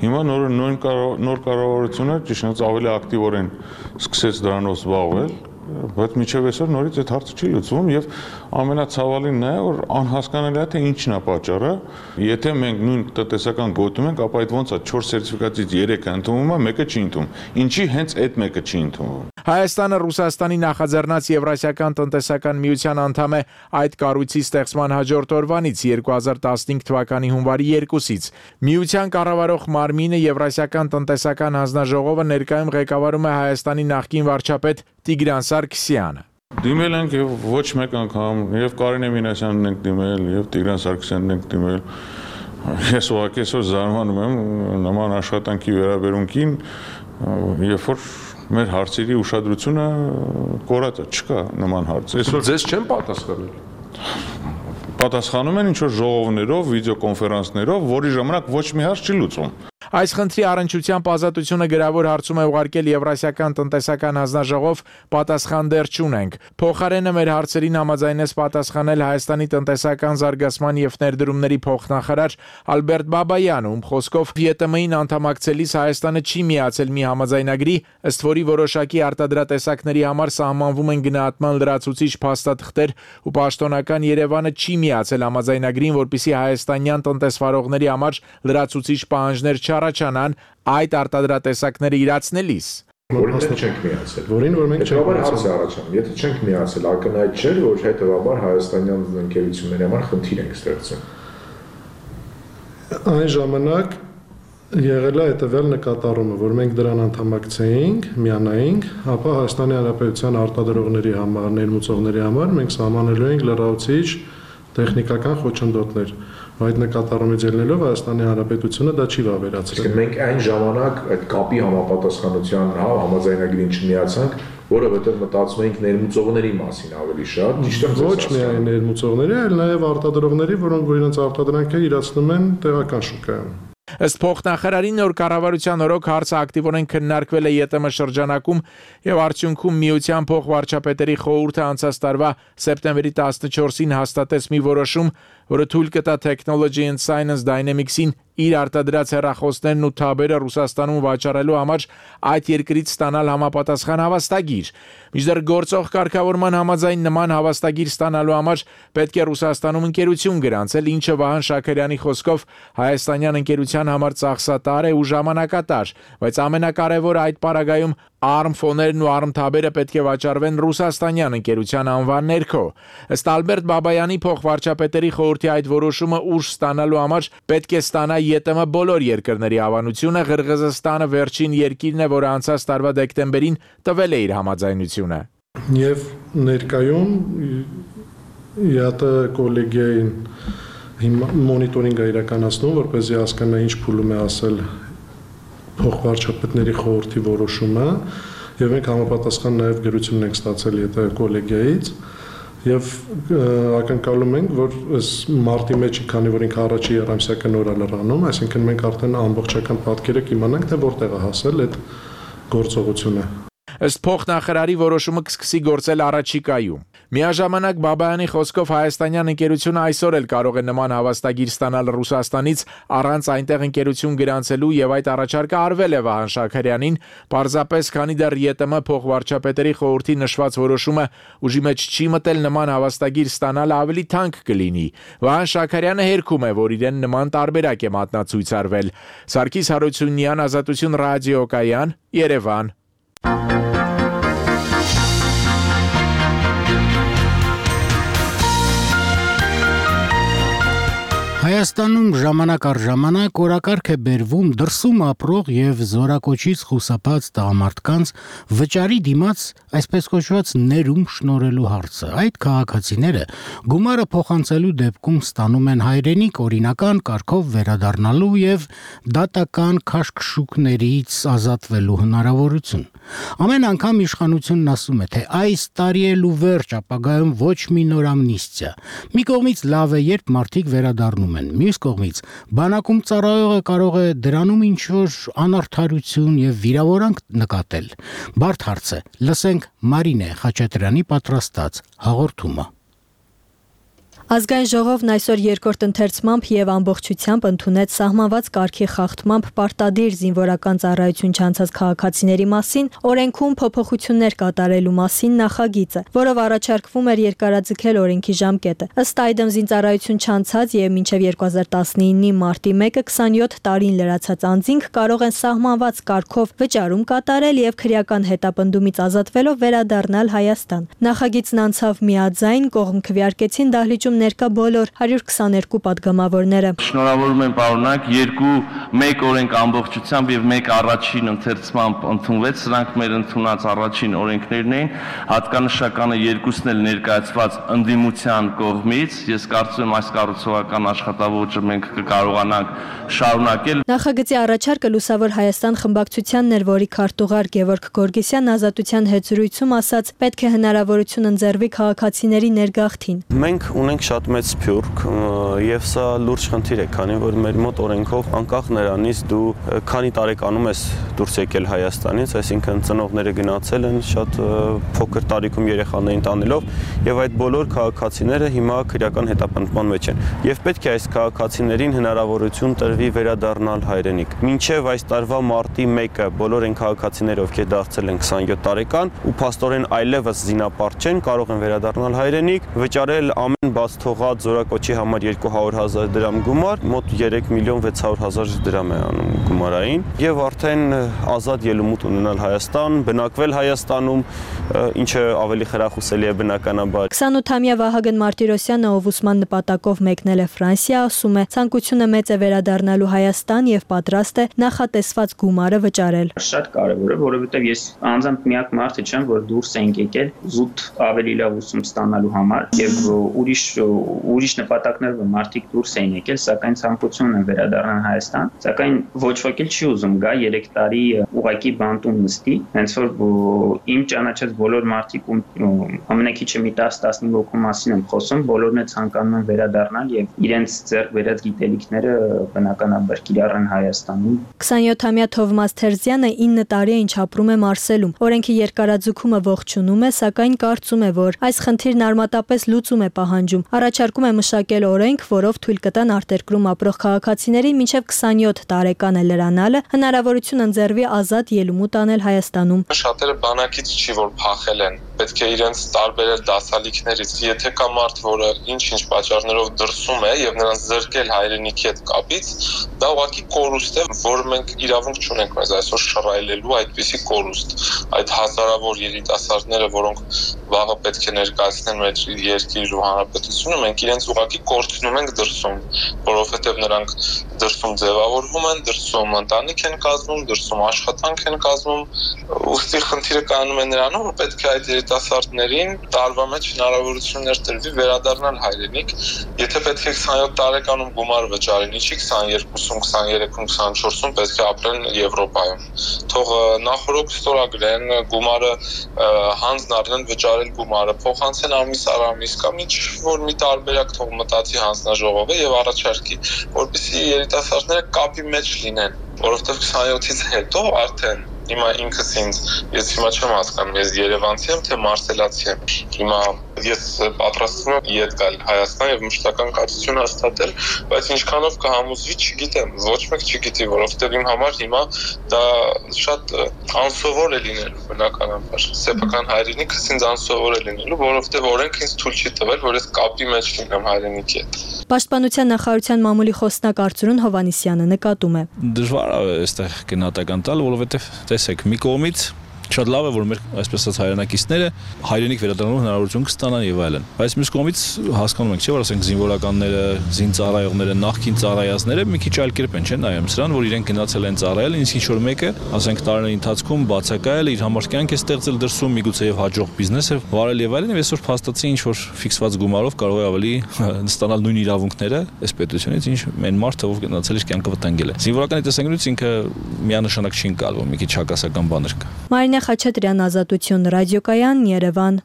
Հիմա նոր նոր նոր կառավարությունը ճիշտ ավելի ակտիվորեն սկսեց դրանով զբաղվել, բայց միջև այսօր նորից այդ հարցը չի լուծվում եւ ամենացավալին նա է, որ անհասկանալի է թե ինչն է պատճառը, եթե մենք նույն տնտեսական գոտում ենք, ապա այդ ոնց է չորս սերտիֆիկատից երեքը ընդունվում է, մեկը չի ընդունվում։ Ինչի հենց այդ մեկը չի ընդունվում։ Հայաստանը Ռուսաստանի նախաձեռնած Եվրասիական տնտեսական միության անդամ է այդ կառույցի ստեղծման հաջորդ օրվանից երկու հազար տասնհինգ թվականի հունվարի երկուսից։ Միության կառավարող մարմինը Եվրասիական տնտեսական հանձնաժողովը ներկայում ղեկավարում է Հայաստանի նախկին վարչապետ Տիգրան Սարգսյանը։ Դիմել ենք եւ ոչ մեկ անգամ եւ Կարինե Մինասյանն ենք դիմել եւ Տիգրան Սարգսյանն ենք դիմել։ Ես ուղղակի այսօր զարմանում եմ նման աշխատանքի վերաբերունքին, երբ որ մեր հարցերի ուշադրությունը կորած է, չկա նման հարց։ Այսօր ձեզ չեն պատասխանել։ Պատասխանում են ինչ-որ ժողովներով, վիդեոկոնֆերանսներով, որի ժամանակ ոչ մի հարց չի լուծվում։ Այս խնդրի առնչությամբ ազատությունը գրավոր հարցում է ուղարկել Եվրասիական տնտեսական հանձնաժողով, պատասխան դեռ չունենք։ Փոխարենը մեր հարցերին համաձայնեց պատասխանել Հայաստանի տնտեսական զարգացման եւ ներդրումների փոխնախարար Ալբերտ Բաբայանը, ում խոսքով ԵՏՄ-ին անդամակցելիս Հայաստանը չի միացել մի համաձայնագրի, ըստ որի որոշակի արտադրատեսակների համար սահմանվում են գնահատման լրացուցիչ փաստաթղթեր ու պաշտոնական Երևանը չի միացել համաձայնագրին, որպեսզի հայաստանյան տնտեսվարողների համար լրացուցիչ պահանջներ առաջանան այդ արտադրատեսակները իրացնելիս։ Որին մենք չենք միացել։ Որին որ մենք չենք միացել առաջանում։ Եթե չենք միացել, ակնհայտ չէ, որ հետեւաբար հայաստանյան ընկերությունների համար խնդիր ենք ստեղծում։ Այն ժամանակ եղել է հետևյալ նկատառումը, որ մենք դրան անդամակցեինք, միանայինք, ապա Հայաստանի Հանրապետության արտադրողների համար, ներմուծողների համար մենք սահմանելու ենք լրացուցիչ տեխնիկական խոչընդոտներ։ Այդ նկատառումից ելնելով Հայաստանի Հանրապետությունը դա չի վավերացրել։ Իսկ մենք այն ժամանակ այդ կապի համապատասխանության հա համաձայնագրին չմիացանք, որովհետև մտածում էինք ներմուծողների մասին ավելի շատ, ճիշտ եմ ոչ միայն ներմուծողների, այլ նաև արտադրողների, որոնք որ իրենց արտադրանքը իրացնում են տեղական շուկայում։ Ըստ փոխնախարարի նոր կառավարության օրոք հարցը ակտիվորեն քննարկվել է ԵՏՄ շրջանակում եւ արդյունքում միության փոխվարչապետերի խորհուրդը անցած տարվա սեպտեմբերի տասնչորսին հաստատեց մի որոշում, որը թույլ կտա Technology and Science Dynamics-ին իր արտադրած հեռախոսներն ու թաբերը Ռուսաստանում վաճառելու համար այդ երկրից ստանալ համապատասխան հավաստագիր։ Մինչդեռ գործող կարգավորման համաձայն նման հավաստագիր ստանալու համար պետք է Ռուսաստանում ընկերություն գրանցել, ինչը Վահան Շաքարյանի խոսքով հայաստանյան ընկերության համար ծախսատար է ու ժամանակատար, բայց ամենակարևորը այդ պարագայում արմֆոներն ու արմթաբերը պետք է վաճառվեն ռուսաստանյան ընկերության անվան ներքո։ Ըստ Ալբերտ Բաբայանի փոխվարչապետերի խորհրդի այդ որոշումը ուժ ստանալու համար պետք է ստանա ԵՏՄ բոլոր երկրների հավանությունը, Ղրղզստանը վերջին երկիրն է, որը անցած տարվա դեկտեմբերին տվել է իր համաձայնությունը։ Եվ ներկայում ԵԱՏ կոլեգիային մոնիտորինգ է իրականացնում, որպեսզի հասկանա ինչ փուլում է ասել փոխվարչապետների խորհրդի որոշումը, եւ մենք համապատասխան նաեւ գրություն ենք ստացել ԵՏ կոլեգիայից եւ ակնկալում ենք, որ այս մարտի մեջ, քանի որ ինքը առաջի երամսյակը նոր է լրանում, այսինքն մենք արդեն ամբողջական պատկերը կիմանանք, թե որտեղ է հասել այդ գործողությունը։ Ըստ փոխնախարարի որոշումը կսկսի գործել առաջիկայում։ Միաժամանակ Բաբայանի խոսքով հայաստանյան ընկերությունը այսօր էլ կարող է նման հավաստագիր ստանալ Ռուսաստանից առանց այնտեղ ընկերություն գրանցելու եւ այդ առաջարկը արվել է Վահան Շաքարյանին, պարզապես քանի դեռ ԵՏՄ փոխվարչապետերի խորհրդի նշված որոշումը ուժի մեջ չի մտել, նման հավաստագիր ստանալը ավելի թանկ կլինի։ Վահան Շաքարյանը հերքում է, որ իրեն նման տարբերակ է մատնացույց արվել։ Սարգիս Հարությունյան, Ազատություն ռադիոկայան, Երևան։ Հայաստանում ժամանակ առ ժամանակ օրակարգ է բերվում դրսում ապրող եւ զորակոչից խուսափած տղամարդկանց վճարի դիմաց այսպես կոչված ներում շնորհելու հարցը։ Այդ քաղաքացիները գումարը փոխանցելու դեպքում ստանում են հայրենիք օրինական կարգով վերադառնալու եւ դատական քաշքշուկներից ազատվելու հնարավորություն։ Ամեն անգամ իշխանությունն ասում է, թե այս տարի էլ ու վերջ ապագայում ոչ մի նոր ամնիստիա։ Մի կողմից լավ է, երբ մարդիկ վերադառնում են, մյուս կողմից բանակում ծառայողը կարող է դրանում ինչ-որ անարդարություն եւ վիրավորանք նկատել։ Բարդ հարց է։ Լսենք Մարինե Խաչատրյանի պատրաստած հաղորդումը։ Ազգային ժողովն այսօր երկրորդ ընթերցմամբ եւ ամբողջությամբ ընդունեց սահմանված կարգի խախտմամբ պարտադիր զինվորական ծառայություն չանցած քաղաքացիների մասին օրենքում փոփոխություններ կատարելու մասին նախագիծը, որով առաջարկվում էր երկարաձգել օրենքի ժամկետը։ Ըստ այդմ զինծառայություն չանցած եւ մինչեւ երկու հազար տասնինի մարտի մեկը քսանյոթ տարին լրացած անձինք կարող են սահմանված կարգով վճարում կատարել եւ քրեական հետապնդումից ազատվելով վերադառնալ Հայաստան։ Նախագիծն անցավ միաձայն, կողմ քվեարկեցին դահլիճում ներկա բոլոր հարյուր քսաներկու պատգամավորները։ Շնորհավորում եմ պարոնակ, երկու մեկ օրենք ամբողջությամբ եւ մեկ առաջին ընթերցմամբ ընդունվեց, սրանք մեր ընդունած առաջին օրենքներն էին, հատկանշականը երկուսն էլ ներկայացված ընդդիմության կողմից։ Ես կարծում եմ այս կառուցողական աշխատավոճը մենք կկարողանանք շարունակել։ Նախագծի առաջարկը Լուսավոր Հայաստան խմբակցությանն էր, որի քարտուղար Գևորգ Գորգիսյանն Ազատության հետ զրույցում ասաց, պետք է հնարավորություն ընձեռվի քաղաքացիների ներգաղթին։ Մենք ունենք շատ մեծ սփյուռք եւ սա լուրջ խնդիր է, քանի որ մեր մոտ օրենքով անկախ նրանից դու քանի տարեկանում ես դուրս եկել Հայաստանից, այսինքն ծնողները գնացել են շատ փոքր տարիքում երեխաներին տանելով եւ այդ բոլոր քաղաքացիները հիմա քրեական հետապնդման մեջ են եւ պետք է այս քաղաքացիներին հնարավորություն տրվի վերադառնալ հայրենիք։ Մինչեւ այս տարվա մարտի մեկը բոլոր այն քաղաքացիները, ովքեր դարձել են քսանյոթ տարեկան ու փաստորեն այլևս զինապարտ չեն, կարող են վերադառնալ հայրենիք, վճարել ամեն բաց թողած զորակոչի համար երկու հարյուր հազար դրամ գումար, մոտ երեք միլիոն վեց հարյուր հազար դրամ է անում գումարային եւ արդեն ազատ ելումուտ ունենալ Հայաստան, բնակվել Հայաստանում, ինչը ավելի խրախուսելի է բնականաբար։ քսանութամյա Վահագն Մարտիրոսյանը, ով ուսման նպատակով մեկնել է Ֆրանսիա, ասում է, ցանկությունը մեծ է վերադառնալու Հայաստան եւ պատրաստ է նախատեսված գումարը վճարել։ Շատ կարեւոր է, որովհետեւ ես անձամբ միակ մարդը չեմ, որ դուրս ենք եկել զուտ ավելի լավ ուսում ստանալու համար եւ ուրիշ ուրիշ նպատակներով մարդիկ դուրս էին եկել, սակայն ցանկությունն է վերադառնալ Հայաստան, սակայն ոչ ոք էլ չի ուզում գա երեք տարի ուղակի բանտում նստի, հենց որ իմ ճանաչած բոլոր մարդիկ ու ամենակիչը մի տասը տասնհինգ հոգու մասին եմ խոսում, բոլորն է ցանկանում են վերադառնալ եւ իրենց ձեռք բերած գիտելիքները բնականաբար կիրառեն Հայաստանում։ քսանյոթամյա Թովմաս Թերզյանը ինը տարի է ինչ ապրում է Մարսելում։ Օրենքի երկարաձգումը ողջունում է, սակայն կարծում է, որ այս խնդիրն արմատապես լուծում է պահանջում։ Առաջարկում է մշակել օրենք, որով թույլ կտան արտերկրում ապրող քաղաքացիներին մինչև քսանյոթ տարեկան է լրանալը հնարավորություն ընձեռվի ազատ ելումուտ անել Հայաստանում։ Շատերը բանակից չի որ փախել են, պետք է իրենց տարբերել դասալիքներից։ Եթե կա մարդ, որը ինչ-ինչ պատճառներով դրսում է եւ նրանց զրկել հայրենիքի հետ կապից, դա ուղղակի կորուստ է, որ մենք իրավունք չունենք մեզ այսօր շռայլելու այդպիսի կորուստ։ Այդ հազարավոր երիտասարդները, որոնք վաղը պետք է ներկայացնեն մեր երկիր ու հանրապետությունը, մենք իրենց ուղղակի կորցնում ենք դրսում, որովհետև նրանք դրսում ձևավորվում են, դրսում ընտանիք են կազմում, դրսում աշխատանք են կազմում, ուստի խնդիրը կանում է նրանում, որ պետք է այդ երիտասարդներին տարվա մեջ հնարավորություններ տրվի վերադառնալ հայրենիք, եթե պետք է քսանյոթ տարեկանում գումար վճարեն, ինչի քսաներկուսում, քսաներեքում, քսանչորսում պետք է ապրեն Եվրոպայում։ Թող նախորոք ստորագրեն գումարը, հանձն առնեն վճարել գումարը, փոխանցեն ամիս առ ամիս կամ ինչ որ մի տարբերակ թող մտածի հանձնաժողովը եւ առաջարկի, որպեսզի երիտասարդները կապի մեջ լինեն, որովհետեւ քսանյոթից հետո արդեն Հիմա ինքս ինձ ես հիմա չեմ հասկանում, ես երևանցի եմ, թե մարսելացի եմ։ Հիմա ես պատրաստվում եմ ետ գալ Հայաստան եւ մշտական կացություն հաստատել, բայց ինչքանով կհամոզվի, չգիտեմ, ոչ մեկ չգիտի, որովհետեւ իմ համար հիմա դա շատ անսովոր է լինելու բնականաբար։ Սեփական հայրենիքս ինձ անսովոր է լինելու, որովհետեւ օրենքը ինձ թույլ չի տվել, որ ես կապի մեջ լինեմ հայրենիքի հետ։ Պաշտպանության նախարարության մամուլի խոսնակ Արծրուն Հովանիսյանը նկատում է. Դժվար է այստեղ գնահատական տալ, որովհետեւ տեսեք, մի կողմից շատ լավ է, որ մեր այսպես ասած հայրենակիցները հայրենիք վերադառնալու հնարավորություն կստանան եւ այլն։ Բայց մյուս կողմից հասկանում ենք, չէ՞, որ ասենք զինվորականները, զինծառայողները, նախկին ծառայածները մի քիչ այլ կերպ են, չէ՞, նայում սրան, որ իրենք գնացել են ծառայել, ինձ ինչ որ մեկը, ասենք տարիների ընթացքում բացակայել, իր համար կյանք է ստեղծել դրսում, միգուցե եւ հաջող բիզնես է վարել եւ այլն, եւ այսօր փաստացի ինչ որ ֆիքսված գումարով կարող է ավելի ստանալ նույն իրավունքները այս պետությունից, ինչ մեն մարդը, ով գնացել իր կյանքը վտանգել է։ Զինվորականի տեսանկյունից ինքը միանշանակ չի ընկալվում, մի քիչ հակասական բաներ կա։ Մարինե Խաչատրյան, Ազատություն, Ռադիոկայան, Երևան։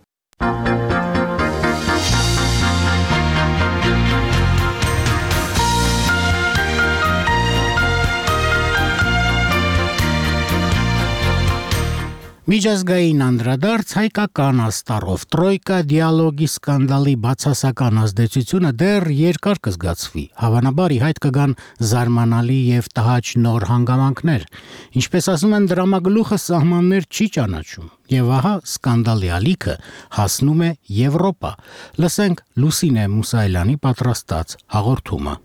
Միջազգային անդրադարձ հայկական աստառով Տրոյկա դիալոգի սկանդալի բացասական ազդեցությունը դեռ երկար կզգացվի։ Հավանաբար ի հայտ կգան զարմանալի եւ տհաճ նոր հանգամանքներ։ Ինչպես ասում են, դրամագլուխը սահմաններ չի ճանաչում։ Եվ ահա սկանդալի ալիքը հասնում է Եվրոպա։ Լսենք Լուսինե Մուսայելյանի պատրաստած հաղորդումը։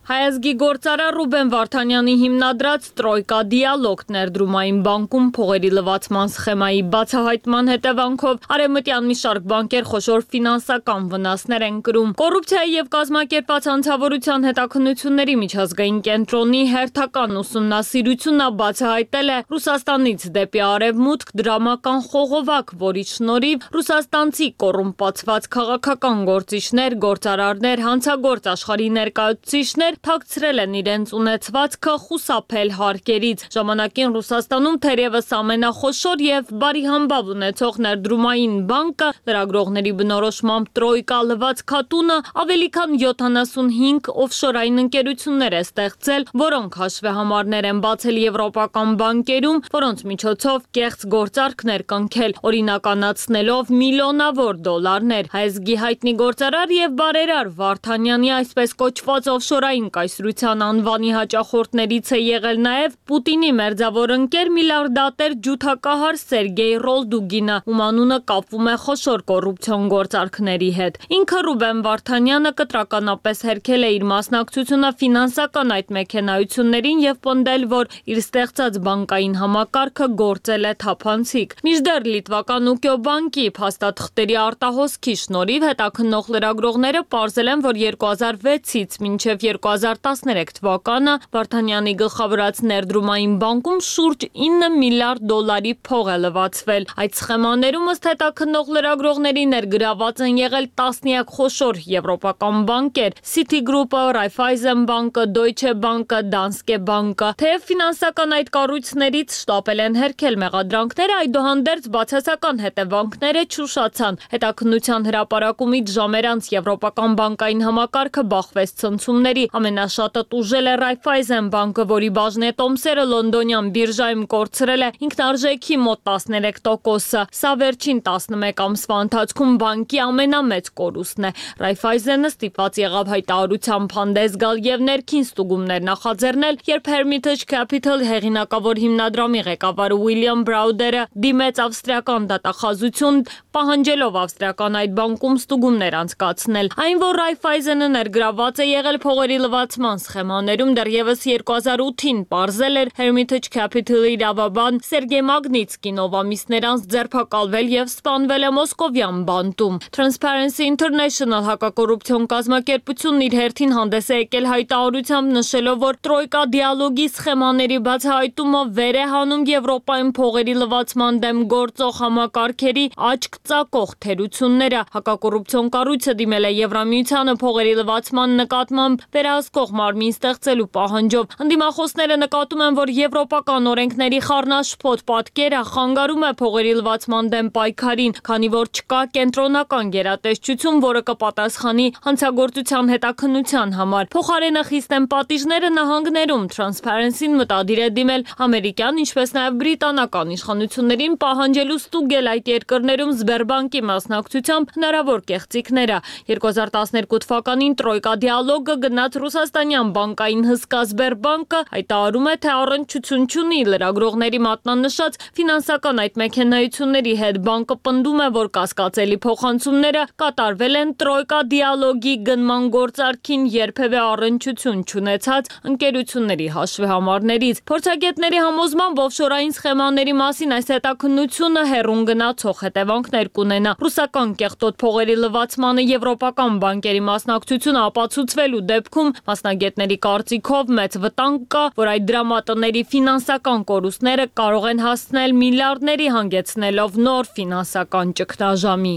Հայազգի գործարար Ռուբեն Վարդանյանի հիմնադրած Տրոյկա դիալոգ ներդրումային բանկում փողերի լվացման սխեմայի բացահայտման հետևանքով արևմտյան մի շարք բանկեր խոշոր ֆինանսական վնասներ են կրում։ Կոռուպցիայի եւ կազմակերպված հանցավորության հետաքննությունների միջազգային կենտրոնի հերթական ուսումնասիրությունը բացահայտել է Ռուսաստանից դեպի արևմուտք դրամական խողովակ, որի շնորհիվ ռուսաստանցի կոռումպացված քաղաքական գործիչներ, գործարարներ, հանցագործ աշխարհի ներկայացուցիչներ թաքցրել են իրենց ունեցվածքը խուսափել հարկերից։ Ժամանակին Ռուսաստանում թերևս ամենախոշոր եւ բարիհամբավ ունեցող ներդրումային բանկը լրագրողների բնորոշմամբ Տրոյկա լվացքատունը ավելի քան յոթանասունհինգ օֆշորային ընկերություններ է ստեղծել, որոնք հաշվեհամարներ են բացել եվրոպական բանկերում, որոնց միջոցով կեղծ գործարքներ կնքել, օրինականացնելով միլիոնավոր դոլարներ։ Հայազգի հայտնի գործարար եւ բարերար Վարդանյանի այսպես կոչված օֆշորային կայսրության անվանի հաճախորդներից է եղել նաև Պուտինի մերձավոր ընկեր միլիարդատեր ջութակահար Սերգեյ Ռոլդուգինը, ում անունը կապվում է խոշոր կոռուպցիոն գործարքների հետ։ Ինքը Ռուբեն Վարդանյանը կտրականապես հերքել է իր մասնակցությունը ֆինանսական այդ մեքենայություններին եւ պնդել, որ իր ստեղծած բանկային համակարգը գործել է թափանցիկ։ Մինչդեռ լիտվական Ուկյո բանկի փաստաթղթերի արտահոսքի շնորհիվ հետաքննող լրագրողները պարզել են, որ երկու հազար վեցից մինչև երկու հազար տասներեք թվականը Վարդանյանի գլխավորած ներդրումային բանկում շուրջ ինը միլիարդ դոլարի փող է լվացվել։ Այդ սխեմաներում ըստ հետաքննող լրագրողների ներգրաված են եղել տասնյակ խոշոր եվրոպական բանկեր՝ Citigroup-ը, Raiffeisen բանկը, Deutsche Bank-ը, Danske Bank-ը։ Թեև ֆինանսական այդ կառույցներից շտապել են հերքել մեղադրանքները, այդուհանդերձ բացասական հետևանքները չուշացան։ Հետաքննության հրապարակումից ժամեր անց եվրոպական բանկային համակարգը բախվեց ցնցումների։ Ամենաշատը տուժել է Raiffeisen բանկը, որի բաժնետոմսերը լոնդոնյան բիրժայում կորցրել է ինքնարժեքի մոտ տասներեք տոկոսը։ Սա վերջին տասնմեկ ամսվա ընթացքում բանկի ամենամեծ կորուստն է։ Raiffeisen-ը ստիպված եղավ հայտարարությամբ հանդես գալ եւ ներքին ստուգումներ նախաձեռնել, երբ Hermitage Capital հեղինակավոր հիմնադրամի ղեկավար Ուիլյամ Բրաուդերը դիմեց ավստրիական դատախազություն, պահանջելով ավստրիական այդ բանկում ստուգումներ անցկացնել։ Այն, որ Raiffeisen-ը ներգրաված է եղել փողերի լվացման սխեմաներում, դեռևս երկու հազար ութին պարզել էր Hermitage Capital-ի իրավաբան Սերգեյ Մագնիցկին, ով ամիսներ անց ձերբակալվել եւ սպանվել է Մոսկովյան բանտում։ Transparency International հակակոռուպցիոն կազմակերպությունն իր հերթին հանդես է եկել հայտարարությամբ, նշելով, որ Տրոյկա դիալոգի սխեմաների բացահայտումը վեր է հանում Եվրոպայում փողերի լվացման դեմ գործող համակարգերի աչք ծակող թերությունները։ Հակակոռուպցիոն կառույցը դիմել է Եվրամիությանը փողերի լվացման նկատմամբ վերահսկողություն վերահսկող մարմին ստեղծելու պահանջով։ Ընդդիմախոսները նկատում են, որ եվրոպական օրենքների խառնաշփոթ պատկերը խանգարում է փողերի լվացման դեմ պայքարին, քանի որ չկա կենտրոնական գերատեսչություն, որը կպատասխանի հանցագործության հետաքննության համար։ Փոխարենը խիստ են պատիժները նահանգներում։ Transparency-ն մտադիր է դիմել ամերիկյան, ինչպես նաև բրիտանական իշխանություններին պահանջելու ստուգել այդ երկրներում Սբերբանկի մասնակցությամբ հնարավոր կեղծիքները։ երկու հազար տասներկու թվականին Տրոյկա դիալոգը գնաց ռուսաստանյան բանկային հսկա Սբերբանկը հայտարարում է, թե առնչություն չունի լրագրողների մատնանշած ֆինանսական այդ մեքենայությունների հետ։ Բանկը պնդում է, որ կասկածելի փոխանցումները կատարվել են Տրոյկա դիալոգի գնման գործարքին երբևէ առնչություն չունեցած ընկերությունների հաշվեհամարներից։ Փորձագետների համոզմամբ օֆշորային սխեմաների մասին այս հետաքննությունը հեռուն գնացող հետևանքներ կունենա։ Ռուսական կեղտոտ փողերի լվացմանը եվրոպական բանկերի մասնակցությունը ապացուցվելու դեպքում մասնագետների կարծիքով մեծ վտանգ կա, որ այդ դրամատների ֆինանսական կորուստները կարող են հասնել միլիարդների, հանգեցնելով նոր ֆինանսական ճգնաժամի։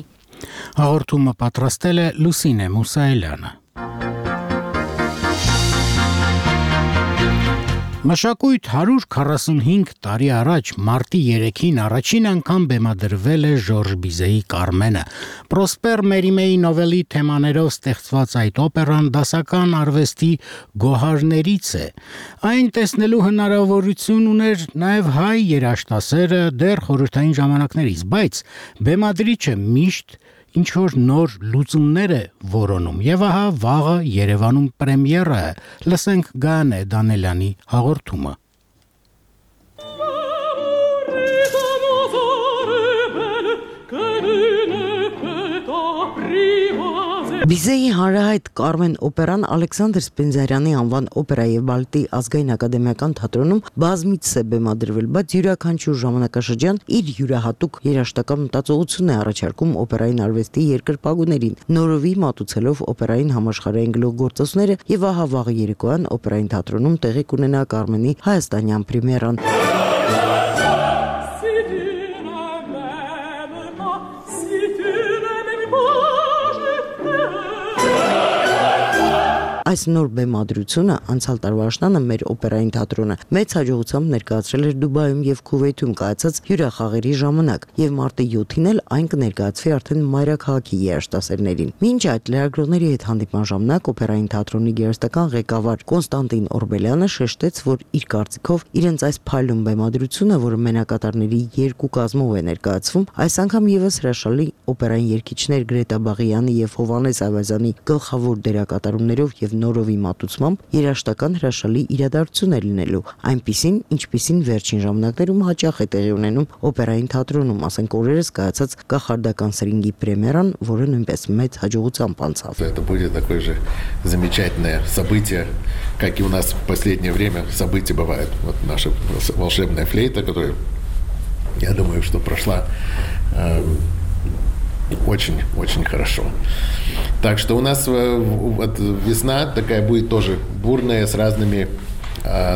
Հաղորդումը պատրաստել է Լուսինե Մուսայելյանը։ Մշակույթ հարյուր քառասունհինգ տարի առաջ մարտի երեքին առաջին անգամ բեմադրվել է Ժորժ Բիզեի Կարմենը։ Պրոսպեր Մերիմեի նովելի թեմաներով ստեղծված այդ օպերան դասական արվեստի գոհարներից է։ Այն տեսնելու հնարավորություն ուներ նաև հայ երաժշտասերը դեռ խորհրդային ժամանակներից, բայց բեմադրիչը միշտ ինչ-որ նոր լուծումներ է որոնում, եւ ահա վաղը Երևանում պրեմիերա է։ Լսենք Գայանե Դանելյանի հաղորդումը։ Բիզեի հանրահայտ Կարմեն օպերան Ալեքսանդր Սպենզարյանի անվան օպերա եւ բալետի ազգային ակադեմիական թատրոնում բազմիցս է բեմադրվել, բայց յուրաքանչյուր ժամանակաշրջան իր յուրահատուկ երաժշտական մտածողություն է առաջարկում օպերային արվեստի երկրպագուներին, նորովի մատուցելով օպերային համաշխարհային գլուխգործոցները եւ ահա վաղ երեկոյան օպերային թատրոնում տեղի կունենա Կարմենի հայաստանյան պրեմիերան։ Այս նոր բեմադրությունը անցյալ տարվա աշնանը մեր օպերային թատրոնը մեծ հաջողությամբ ներկայացրել էր Դուբայում եւ Քուվեյթում կայացած հյուրախաղերի ժամանակ եւ մարտի յոթին էլ այն կներկայացվի արդեն մայրաքաղաքի երաժշտասերներին։ Մինչ այդ լրագրողների հետ հանդիպման ժամանակ օպերային թատրոնի գերստական ղեկավար Կոնստանտին Օրբելյանը շեշտեց, որ իր կարծիքով իրենց այս փայլուն բեմադրությունը, որը մենակատարների երկու կազմով է ներկայացվում, այս անգամ եւս հրաշալի օպերային երգիչներ Գրետա Բաղյանի եւ Հովանես Ավազյանի գլխավոր դերակատարումներով եւ նորովի մատուցմամբ երաժշտական հրաշալի իրադարձություն է լինելու, այնպիսին, ինչպիսին վերջին ժամանակներում հաճախ է տեղի ունենում օպերային թատրոնում, ասենք օրերս կայացած կախարդական սրինգի պրեմիերան, որը նույնպես մեծ հաջողությամբ անցավ։ Это будет такое же замечательное событие, как и у нас в последнее время события бывают. Вот наша волшебная флейта, которая, я думаю, что прошла э, очень-очень хорошо. Так что у нас вот весна такая будет тоже бурная, с разными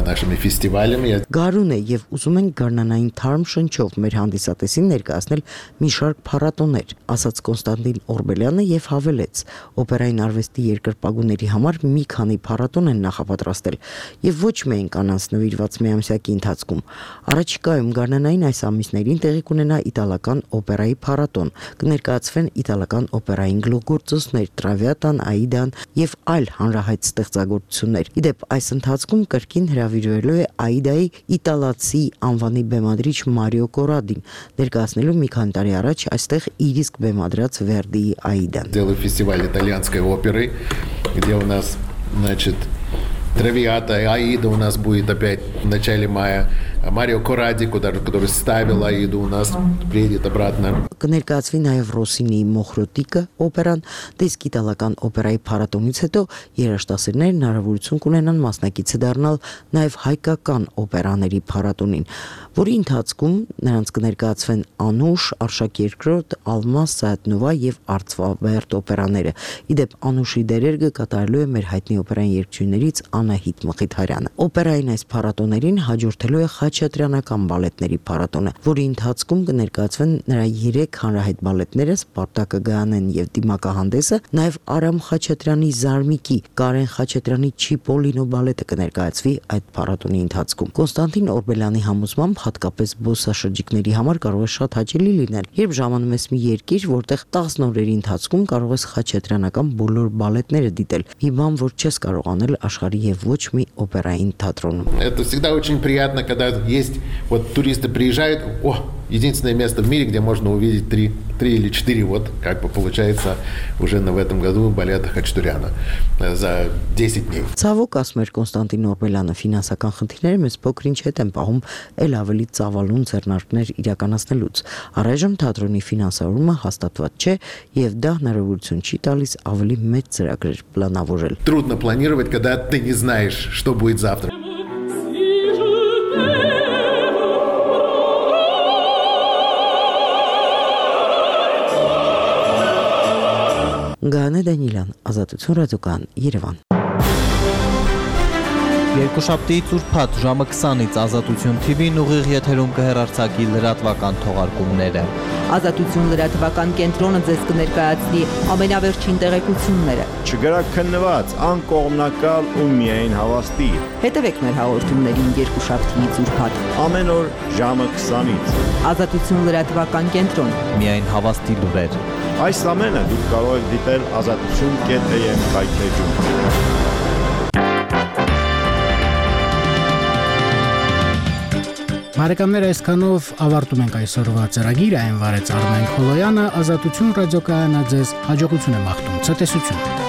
нашими фестивалями. Գարուն է եւ ուզում ենք գարնանային թարմ շնչով մեր հանդիսատեսին ներկայացնել մի շարք փառատոներ, ասաց Կոնստանտին Օրբելյանը եւ հավելեց. օպերային արվեստի երկրպագուների համար մի քանի փառատոն են նախապատրաստել եւ ոչ միայն կանանց նվիրված միամսյակի ընթացքում։ Առաջիկայում գարնանային այս ամիսներին տեղի կունենա իտալական օպերայի փառատոն, կներկայացվեն իտալական օպերային գլուխգործոցներ, Տրավիատան, Աիդան եւ այլ հանրահայտ ստեղծագործություններ։ Իդեպ այս ընթացքում կրկին հրավիրվելու է Աիդայի իտալացի անվանի բեմադրիչ Մարիո Կորադին, ներկայացնելու մի քանի տարի առաջ այստեղ իր իսկ բեմադրած Վերդիի Աիդան։ Делаю фестиваль итальянской оперы, где у нас, значит, Травиата и Аида у нас будет опять в начале мая. Марио Коради, который ставил Аиду, у нас приедет обратно. Կներկայացվի նաև Ռոսինիի Մոխրոտիկը օպերան, իսկ իտալական օպերայի փառատոնից հետո երաժշտասերներն հնարավորություն կունենան մասնակիցը դառնալ նաև հայկական օպերաների փառատոնին, որի ընթացքում նրանց կներկայացվեն Անուշ, Արշակ երկրորդ, Ալմաս, Սայատնովա եւ Արծվաբերդ օպերաները։ Իդեպ Անուշի դերերը կատարելու է մեր հայտնի օպերային երգչուհիներից Անահիտ Մխիթարյանը։ Օպերային այս փառատոներին հաջորդելու է խաչատրյանական բալետների փառատոնը, որի ընթացքում կներկայացվեն նրա երեք հանրահայտ բալետները՝ Սպարտակը, Գայանեն եւ Դիմակահանդեսը, նաեւ Արամ Խաչատրյանի Զարմիկի, Կարեն Խաչատրյանի Չիպոլինո բալետը կներկայացվի այդ փառատոնի ընթացքում։ Կոնստանտին Օրբելյանի համոզմամբ հատկապես զբոսաշրջիկների համար կարող է շատ հաճելի լինել, երբ ժամանում ես մի երկիր, որտեղ տասն օրերի ընթացքում կարող ես խաչատրյանական բոլոր բալետները դիտել, մի բան, որ չես կարող անել աշխարհի եւ ոչ մի օպերային թատրոնում։ Это всегда очень приятно, когда есть вот туристы приезжают, о, единственное место в мире, где можно увидеть три, три или четыре, вот как бы получается уже в этом году балета Хачатуряна за десять дней. Ցավոք, ասում էր Կոնստանտին Օրբելյանը, ֆինանսական խնդիրները մեզ փոքրինչ հետ են պահում ել ավելի ծավալուն ձեռնարկներ իրականացնելուց։ Առայժմ թատրոնի ֆինանսավորումը հաստատված չէ եւ դա հնարավորություն չի տալիս ավելի մեծ ծրագրեր պլանավորել։ Трудно планировать, когда ты не знаешь, что будет завтра. Գանե Դանիլյան, Ազատություն ռադիոկայան, Երևան։ Երկուշաբթիից ուրբաթ ժամը քսանից Ազատություն թի վին ուղիղ եթերում կհեռարձակի լրատվական թողարկումները։ Ազատություն լրատվական կենտրոնը ձեզ կներկայացնի ամենավերջին տեղեկությունները։ Չգրակ քննված, անկողմնակալ ու միայն հավաստի։ Հետևեք մեր հաղորդումներին երկուշաբթիից ուրբաթ ամեն օր ժամը քսանից։ Ազատություն լրատվական կենտրոն։ Միայն հավաստի լուրեր։ Այս ամենը դուք կարող եք դիտել ազատություն կետ էմ կայքեջում։ Բարեկամներ, այսքանով ավարտում ենք այսօրվա ծրագիրը, այն վարեց Արմեն Խոլոյանը, Ազատություն ռադիոկայանը ձեզ հաջողություն է մաղթում, ցտեսություն։